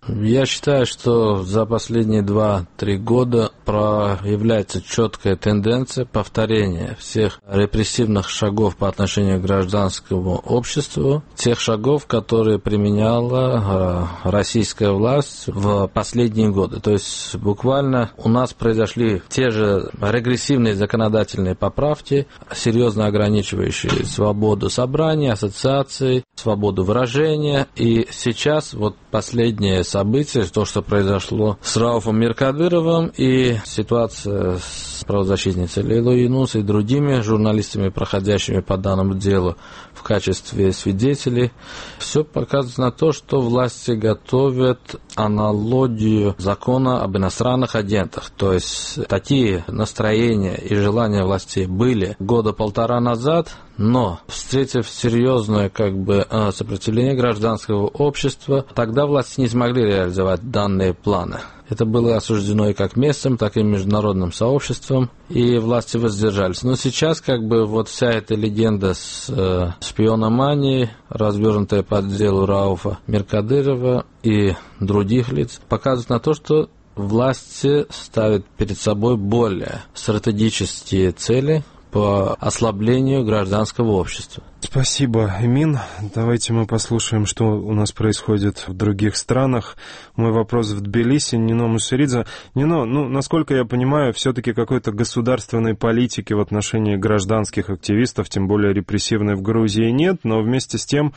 Я считаю, что за последние два-три года проявляется четкая тенденция повторения всех репрессивных шагов по отношению к гражданскому обществу, тех шагов, которые применяла российская власть в последние годы. То есть буквально у нас произошли те же регрессивные законодательные поправки, серьезно ограничивающие свободу собраний, ассоциаций, свободу выражения. И сейчас вот последнее событие события, то, что произошло с Рауфом Миркадыровым и ситуация с правозащитницей Лейлой Юнус и другими журналистами, проходящими по данному делу в качестве свидетелей, все показывает на то, что власти готовят аналогию закона об иностранных агентах. То есть такие настроения и желания властей были года полтора назад, но, встретив серьезное как бы, сопротивление гражданского общества, тогда власти не смогли реализовать данные планы. Это было осуждено и как местным, так и международным сообществом, и власти воздержались. Но сейчас как бы вот вся эта легенда с э, шпиономанией, развернутая по делу Рауфа Миркадырова и других лиц, показывает на то, что власти ставят перед собой более стратегические цели по ослаблению гражданского общества. Спасибо, Эмин. Давайте мы послушаем, что у нас происходит в других странах. Мой вопрос в Тбилиси. Нино Мусеридзе. Нино, ну, насколько я понимаю, все-таки какой-то государственной политики в отношении гражданских активистов, тем более репрессивной, в Грузии нет, но вместе с тем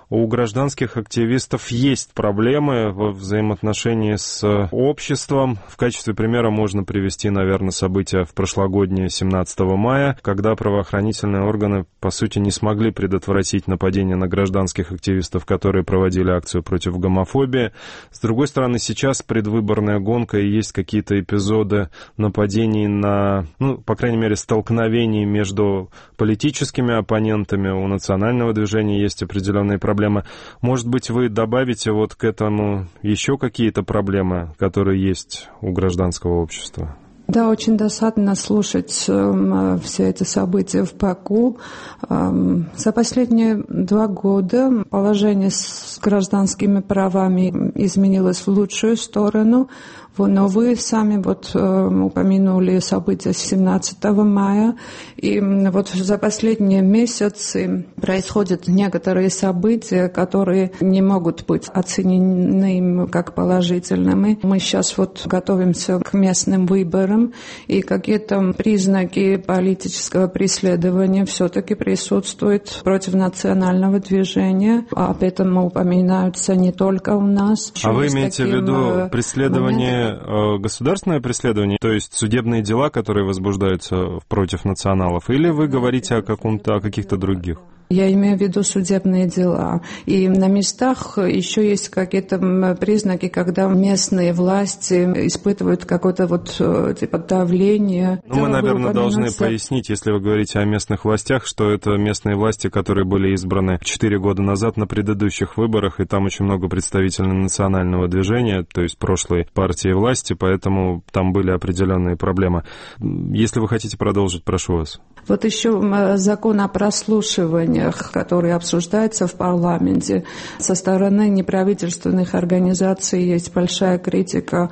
у гражданских активистов есть проблемы во взаимоотношении с обществом. В качестве примера можно привести, наверное, события в прошлогоднее семнадцатого мая, когда правоохранительные органы, по сути, не смогли предотвратить нападение на гражданских активистов, которые проводили акцию против гомофобии. С другой стороны, сейчас предвыборная гонка, и есть какие-то эпизоды нападений на, ну, по крайней мере, столкновений между политическими оппонентами. У национального движения есть определенные проблемы. Может быть, вы добавите вот к этому еще какие-то проблемы, которые есть у гражданского общества? Да, очень досадно слушать э, все эти события в Баку. Э, за последние два года положение с гражданскими правами изменилось в лучшую сторону. Но вы сами вот э, упомянули события семнадцатого мая, и вот за последние месяцы происходят некоторые события, которые не могут быть оценены как положительными. Мы сейчас вот готовимся к местным выборам, и какие-то признаки политического преследования все-таки присутствуют против национального движения. Об этом упоминаются не только у нас. А вы имеете в виду преследование, государственное преследование, то есть судебные дела, которые возбуждаются против националов, или вы говорите о, каком-то, о каких-то других? Я имею в виду судебные дела. И на местах еще есть какие-то признаки, когда местные власти испытывают какое-то вот типа давление. Ну, мы, наверное, должны пояснить, если вы говорите о местных властях, что это местные власти, которые были избраны четыре года назад на предыдущих выборах, и там очень много представителей национального движения, то есть прошлой партии власти, поэтому там были определенные проблемы. Если вы хотите продолжить, прошу вас. Вот еще закон о прослушиваниях, который обсуждается в парламенте. Со стороны неправительственных организаций есть большая критика,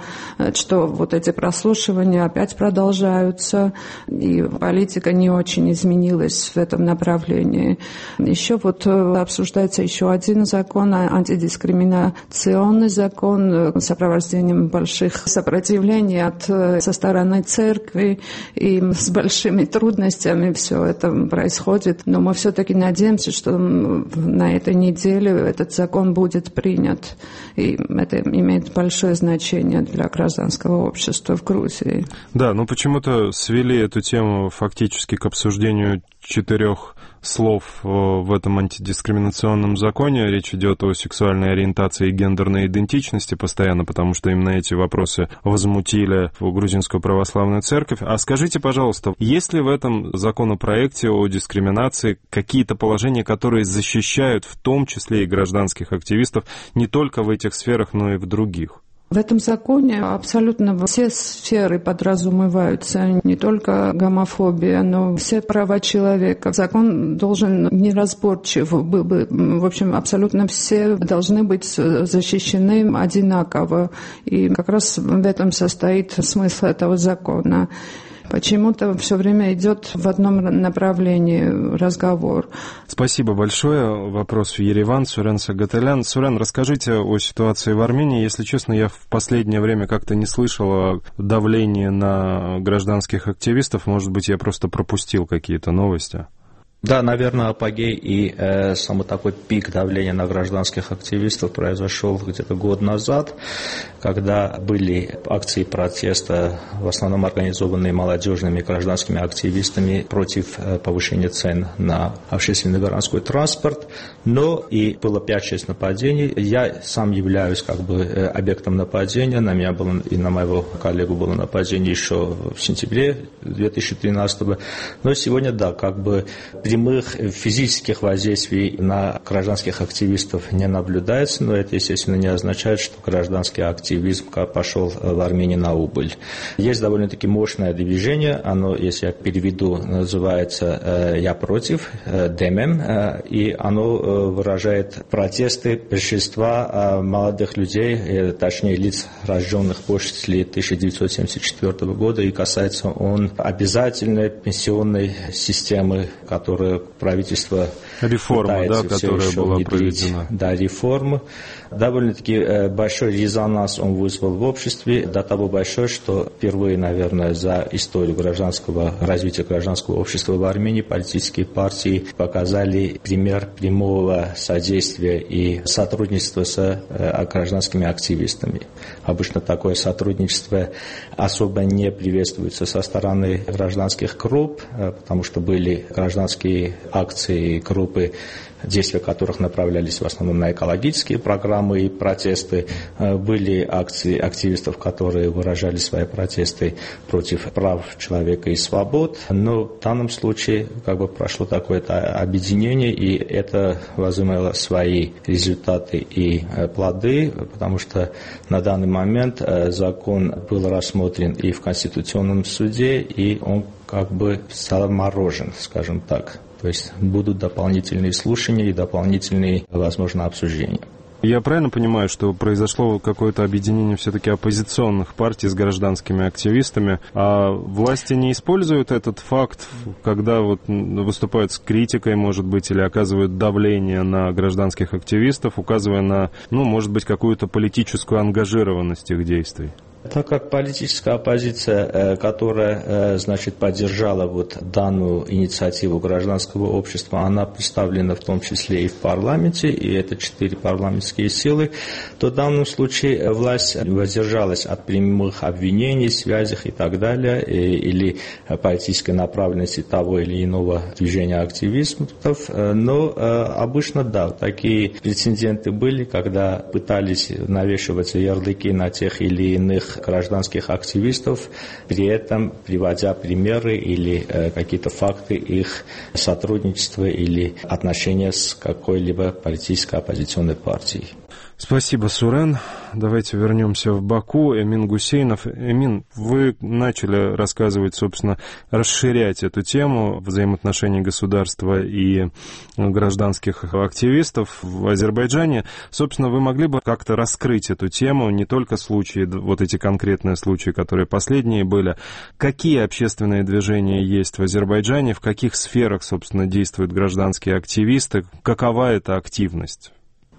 что вот эти прослушивания опять продолжаются, и политика не очень изменилась в этом направлении. Еще вот обсуждается еще один закон, антидискриминационный закон, с сопровождением больших сопротивлений от, со стороны церкви, и с большими трудностями все это происходит, но мы все-таки надеемся, что на этой неделе этот закон будет принят, и это имеет большое значение для гражданского общества в Грузии. Да, но почему-то свели эту тему фактически к обсуждению четырех слов в этом антидискриминационном законе. Речь идет о сексуальной ориентации и гендерной идентичности постоянно, потому что именно эти вопросы возмутили грузинскую православную церковь. А скажите, пожалуйста, есть ли в этом законопроекте о дискриминации какие-то положения, которые защищают в том числе и гражданских активистов не только в этих сферах, но и в других? В этом законе абсолютно все сферы подразумеваются, не только гомофобия, но все права человека. Закон должен неразборчив был бы, в общем, абсолютно все должны быть защищены одинаково. И как раз в этом состоит смысл этого закона. Почему-то все время идет в одном направлении разговор. Спасибо большое. Вопрос в Ереван. Сурен Сагаталян. Сурен, расскажите о ситуации в Армении. Если честно, я в последнее время как-то не слышал о давлении на гражданских активистов. Может быть, я просто пропустил какие-то новости. Да, наверное, апогей и э, само такой пик давления на гражданских активистов произошел где-то год назад, когда были акции протеста, в основном организованные молодежными гражданскими активистами против э, повышения цен на общественный городской транспорт, но и было пять-шесть нападений. Я сам являюсь как бы э, объектом нападения, на меня было и на моего коллегу было нападение еще в сентябре две тысячи тринадцатого, но сегодня, да, как бы прямых физических воздействий на гражданских активистов не наблюдается, но это, естественно, не означает, что гражданский активизм пошел в Армении на убыль. Есть довольно-таки мощное движение, оно, если я переведу, называется «Я против», ДММ, и оно выражает протесты большинства молодых людей, точнее лиц, рожденных после тысяча девятьсот семьдесят четвёртого года, и касается он обязательной пенсионной системы, которая правительство реформа, да, которая была проведена. Да, реформа. Довольно-таки большой резонанс он вызвал в обществе, до того большой, что впервые, наверное, за историю гражданского развития гражданского общества в Армении политические партии показали пример прямого содействия и сотрудничества с гражданскими активистами. Обычно такое сотрудничество особо не приветствуется со стороны гражданских групп, потому что были гражданские акции, группы, действия которых направлялись в основном на экологические программы и протесты. Были акции активистов, которые выражали свои протесты против прав человека и свобод. Но в данном случае как бы прошло такое-то объединение, и это возымело свои результаты и плоды, потому что на данный момент закон был рассмотрен и в Конституционном суде, и он как бы заморожен, скажем так. То есть будут дополнительные слушания и дополнительные, возможно, обсуждения. Я правильно понимаю, что произошло какое-то объединение все-таки оппозиционных партий с гражданскими активистами, а власти не используют этот факт, когда вот выступают с критикой, может быть, или оказывают давление на гражданских активистов, указывая на, ну, может быть, какую-то политическую ангажированность их действий? Так как политическая оппозиция, которая, значит, поддержала вот данную инициативу гражданского общества, она представлена в том числе и в парламенте, и это четыре парламентские силы, то в данном случае власть воздержалась от прямых обвинений, связей и так далее, или политической направленности того или иного движения активистов, но обычно, да, такие прецеденты были, когда пытались навешивать ярлыки на тех или иных гражданских активистов, при этом приводя примеры или э, какие-то факты их сотрудничества или отношения с какой-либо политической оппозиционной партией. Спасибо, Сурен. Давайте вернемся в Баку. Эмин Гусейнов. Эмин, вы начали рассказывать, собственно, расширять эту тему взаимоотношений государства и гражданских активистов в Азербайджане. Собственно, вы могли бы как-то раскрыть эту тему, не только случаи, вот эти конкретные случаи, которые последние были. Какие общественные движения есть в Азербайджане, в каких сферах, собственно, действуют гражданские активисты, какова эта активность?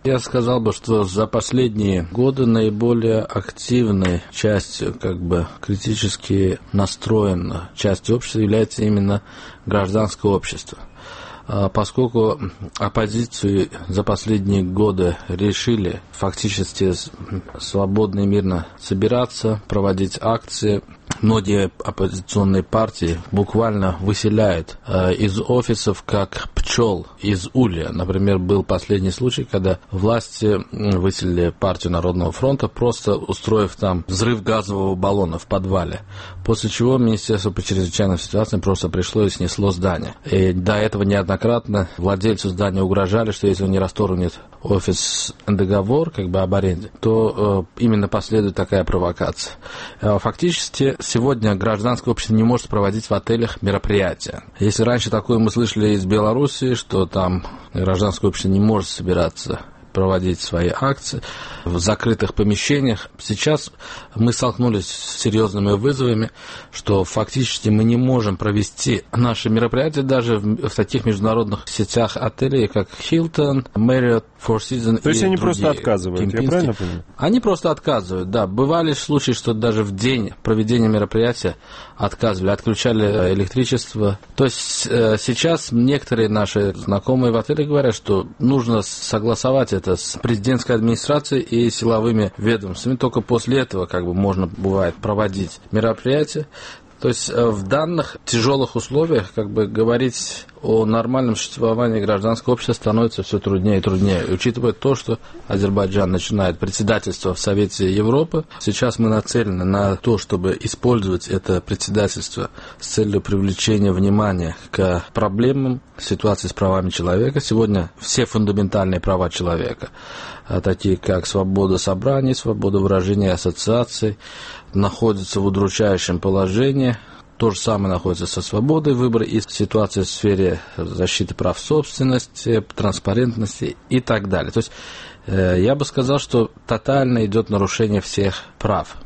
Я сказал бы, что за последние годы наиболее активной частью, как бы критически настроенной частью общества является именно гражданское общество. Поскольку оппозицию за последние годы решили фактически свободно и мирно собираться, проводить акции, многие оппозиционные партии буквально выселяют э, из офисов как пчел из улья. Например, был последний случай, когда власти выселили партию Народного фронта, просто устроив там взрыв газового баллона в подвале, после чего Министерство по чрезвычайным ситуациям просто пришло и снесло здание. И до этого неоднократно владельцу здания угрожали, что если он не расторгнет офис договор как бы об аренде, то э, именно последует такая провокация. Э, фактически сегодня гражданское общество не может проводить в отелях мероприятия. Если раньше такое мы слышали из Белоруссии, что там гражданское общество не может собираться проводить свои акции в закрытых помещениях. Сейчас мы столкнулись с серьезными вызовами, что фактически мы не можем провести наши мероприятия даже в, в таких международных сетях отелей, как Hilton, Marriott, Four Seasons. То есть они другие, просто отказывают, Кемпински. Я правильно понимаю? Они просто отказывают, да. Бывали случаи, что даже в день проведения мероприятия отказывали, отключали электричество. То есть э, сейчас некоторые наши знакомые в отеле говорят, что нужно согласовать это с президентской администрацией и силовыми ведомствами. Только после этого как бы можно бывает проводить мероприятия. То есть в данных тяжелых условиях как бы говорить о нормальном существовании гражданского общества становится все труднее и труднее. И учитывая то, что Азербайджан начинает председательство в Совете Европы, сейчас мы нацелены на то, чтобы использовать это председательство с целью привлечения внимания к проблемам ситуации с правами человека. Сегодня все фундаментальные права человека, такие как свобода собраний, свобода выражения и ассоциаций, находятся в удручающем положении. То же самое находится со свободой выбора и ситуация в сфере защиты прав собственности, транспарентности и так далее. То есть э, я бы сказал, что тотально идет нарушение всех прав.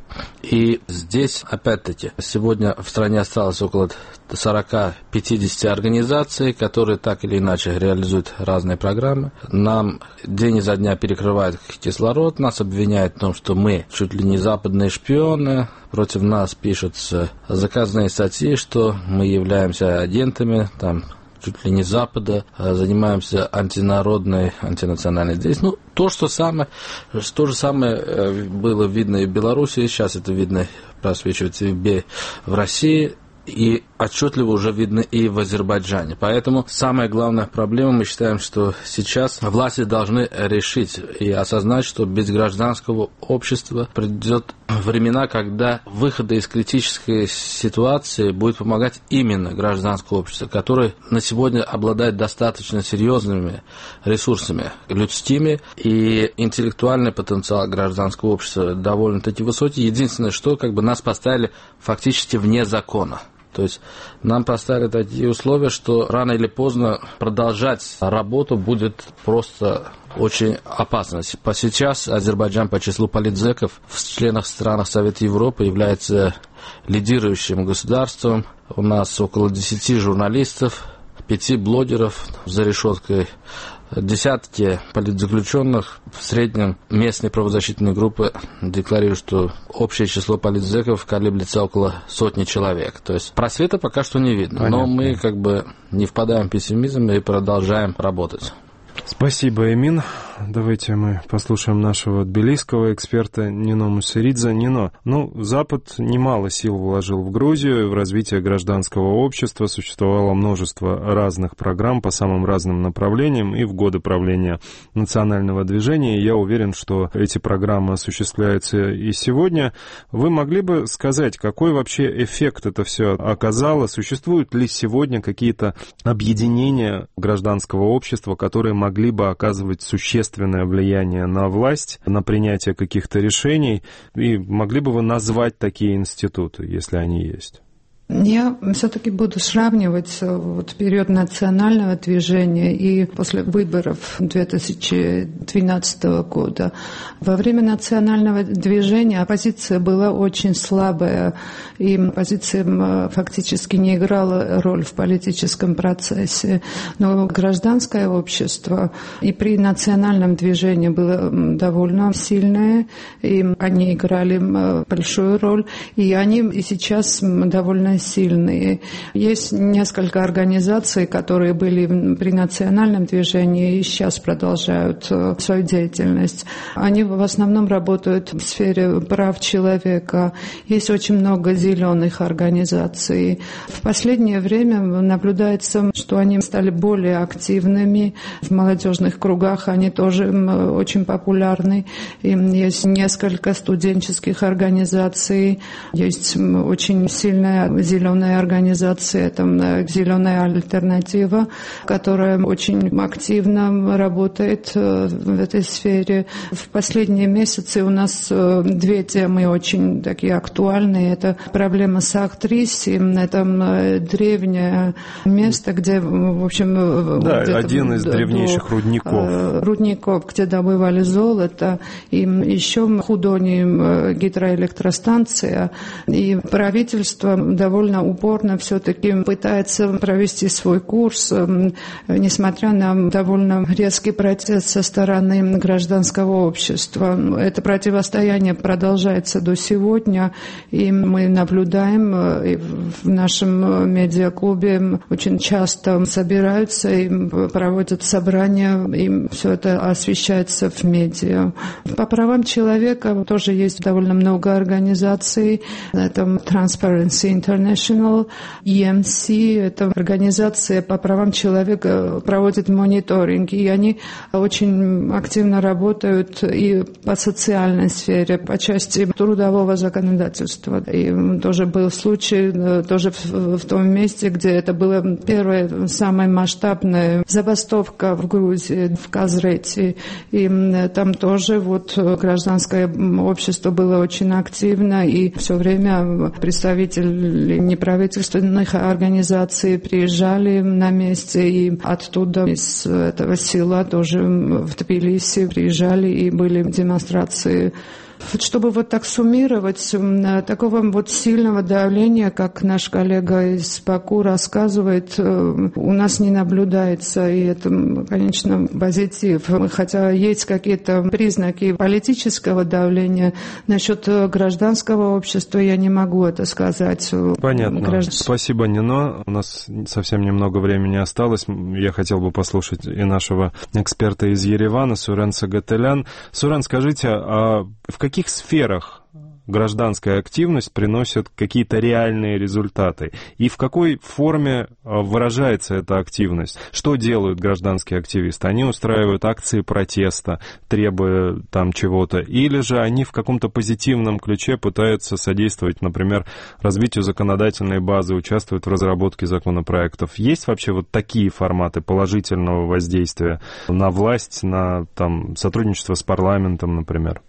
И здесь, опять-таки, сегодня в стране осталось около сорок-пятьдесят организаций, которые так или иначе реализуют разные программы. Нам день изо дня перекрывают кислород, нас обвиняют в том, что мы чуть ли не западные шпионы, против нас пишутся заказные статьи, что мы являемся агентами, там, чуть ли не Запада, занимаемся антинародной, антинациональной деятельностью. Ну, то, что самое, то же самое было видно и в Беларуси, сейчас это видно, просвечивается и в России, и отчетливо уже видно и в Азербайджане. Поэтому самая главная проблема, мы считаем, что сейчас власти должны решить и осознать, что без гражданского общества придет времена, когда выхода из критической ситуации будет помогать именно гражданское общество, которое на сегодня обладает достаточно серьезными ресурсами людскими, и интеллектуальный потенциал гражданского общества довольно-таки высокий. Единственное, что как бы нас поставили фактически вне закона. То есть нам поставили такие условия, что рано или поздно продолжать работу будет просто очень опасно. Сейчас Азербайджан по числу политзеков в членах странах Совета Европы является лидирующим государством. У нас около десяти журналистов, пяти блогеров за решеткой, десятки политзаключенных. В среднем местные правозащитные группы декларируют, что общее число политзеков колеблется около сотни человек. То есть просвета пока что не видно. Понятно. Но мы как бы не впадаем в пессимизм и продолжаем работать. Спасибо, Эмин. Давайте мы послушаем нашего тбилисского эксперта Нино Мусеридзе. Нино, ну, Запад немало сил вложил в Грузию, в развитие гражданского общества. Существовало множество разных программ по самым разным направлениям и в годы правления национального движения. Я уверен, что эти программы осуществляются и сегодня. Вы могли бы сказать, какой вообще эффект это все оказало? Существуют ли сегодня какие-то объединения гражданского общества, которые могли бы оказывать существенное влияние на власть, на принятие каких-то решений, и могли бы вы назвать такие институты, если они есть? Я все-таки буду сравнивать вот период национального движения и после выборов две тысячи двенадцатого года. Во время национального движения оппозиция была очень слабая, и оппозиция фактически не играла роль в политическом процессе. Но гражданское общество и при национальном движении было довольно сильное, и они играли большую роль, и они и сейчас довольно сильные. Есть несколько организаций, которые были при национальном движении и сейчас продолжают свою деятельность. Они в основном работают в сфере прав человека. Есть очень много зеленых организаций. В последнее время наблюдается, что они стали более активными. В молодежных кругах они тоже очень популярны. Есть несколько студенческих организаций. Есть очень сильная зеленая организация, там «Зеленая альтернатива», которая очень активно работает в этой сфере. В последние месяцы у нас две темы очень такие актуальные. Это проблема Сахтрис, это древнее место, где, в общем... Да, один из древнейших рудников. Рудников, где добывали золото. И еще Худони гидроэлектростанция. И правительство довольно упорно все-таки пытается провести свой курс, несмотря на довольно резкий протест со стороны гражданского общества. Это противостояние продолжается до сегодня, и мы наблюдаем и в нашем медиаклубе очень часто собираются и проводят собрания, и все это освещается в медиа. По правам человека тоже есть довольно много организаций. Это Transparency International, и эм си, это организация по правам человека, проводит мониторинг, и они очень активно работают и по социальной сфере, по части трудового законодательства. И тоже был случай, тоже в, в том месте, где это была первая, самая масштабная забастовка в Грузии, в Казрете. И там тоже вот гражданское общество было очень активно, и все время представители неправительственных организаций приезжали на месте, и оттуда, из этого села, тоже в Тбилиси приезжали, и были демонстрации. Чтобы вот так суммировать, такого вот сильного давления, как наш коллега из Баку рассказывает, у нас не наблюдается, и это, конечно, позитив. Хотя есть какие-то признаки политического давления, насчет гражданского общества я не могу это сказать. Понятно. Граждан... Спасибо, Нино. У нас совсем немного времени осталось. Я хотел бы послушать и нашего эксперта из Еревана, Сурен Сагателян. Сурен, скажите, а в каких В каких сферах гражданская активность приносит какие-то реальные результаты? И в какой форме выражается эта активность? Что делают гражданские активисты? Они устраивают акции протеста, требуя там чего-то, или же они в каком-то позитивном ключе пытаются содействовать, например, развитию законодательной базы, участвуют в разработке законопроектов? Есть вообще вот такие форматы положительного воздействия на власть, на там, сотрудничество с парламентом, например?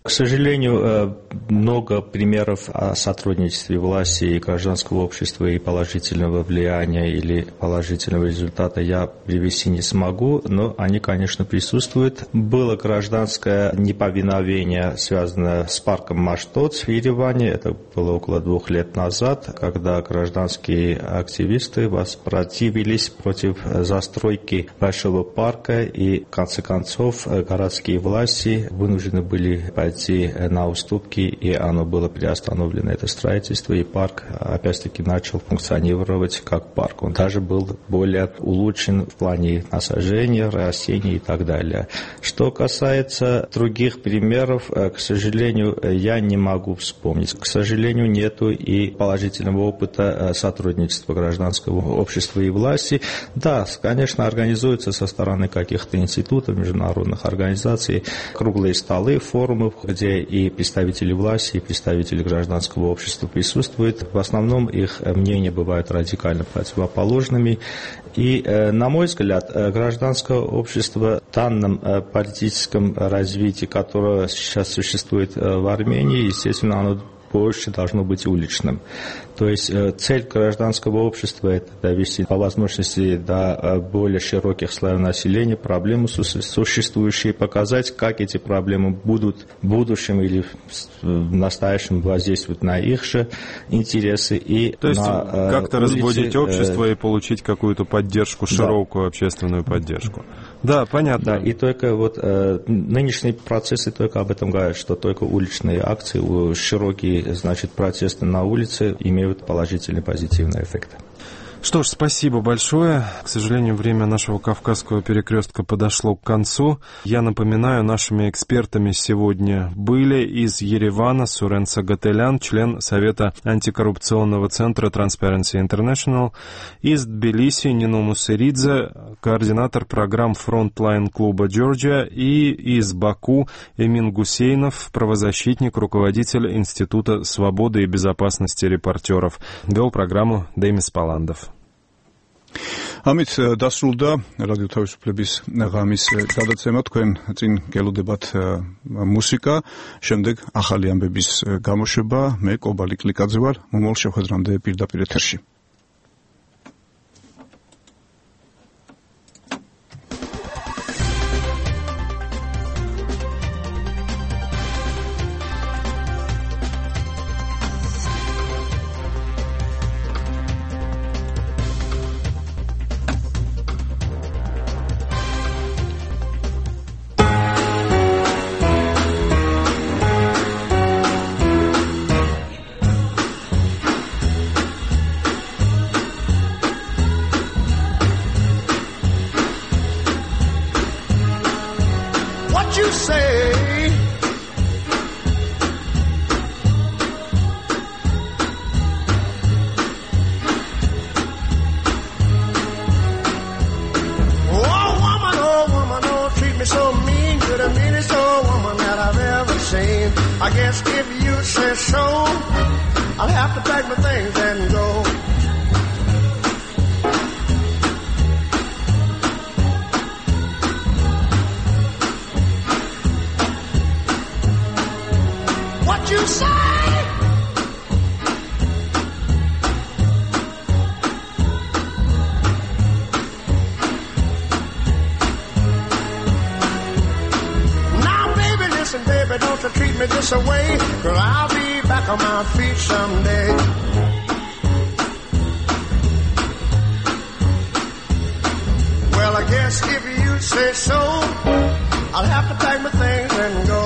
К сожалению, много примеров о сотрудничестве власти и гражданского общества и положительного влияния или положительного результата я привести не смогу, но они, конечно, присутствуют. Было гражданское неповиновение, связанное с парком Маштот в Ереване. Это было около двух лет назад, когда гражданские активисты воспротивились против застройки большого парка, и в конце концов городские власти вынуждены были пойти на уступки, и оно было приостановлено, это строительство, и парк опять-таки начал функционировать как парк. Он даже был более улучшен в плане насаждения, растений и так далее. Что касается других примеров, к сожалению, я не могу вспомнить. К сожалению, нету и положительного опыта сотрудничества гражданского общества и власти. Да, конечно, организуются со стороны каких-то институтов, международных организаций круглые столы, форумы, где и представители власти, и представители гражданского общества присутствуют. В основном их мнения бывают радикально противоположными. И, на мой взгляд, гражданское общество в данном политическом развитии, которое сейчас существует в Армении, естественно, оно больше должно быть уличным. То есть цель гражданского общества – это довести по возможности до более широких слоев населения проблемы существующие, показать, как эти проблемы будут в будущем или в настоящем воздействовать на их же интересы. И То есть на, как-то улице, разбудить общество и получить какую-то поддержку, широкую да. общественную поддержку. Да, понятно. Да, и только вот э, нынешние процессы только об этом говорят, что только уличные акции, широкие, значит, протесты на улице имеют положительный, позитивный эффект. Что ж, спасибо большое. К сожалению, время нашего Кавказского перекрестка подошло к концу. Я напоминаю, нашими экспертами сегодня были из Еревана Сурен Сагателян, член Совета антикоррупционного центра Transparency International, из Тбилиси Нино Мусеридзе, координатор программ Frontline клуба Georgia, и из Баку Эмин Гусейнов, правозащитник, руководитель Института свободы и безопасности репортеров. Вел программу Демис Паландов. ამით დასრულდა რადიო თავისუფლების ღამის გადაცემა. თქვენ წინ გელოდებათ მუსიკა, შემდეგ ახალი ამბების გამოშვება. მე კობალი კლიკაძე ვარ. მომავალ შეხვედრამდე პირდაპირ ეთერში. I guess if you say so, I'll have to pack my things and go. What you say? Baby, don't you treat me this away, 'cause I'll be back on my feet someday. Well, I guess if you say so, I'll have to pack my things and go.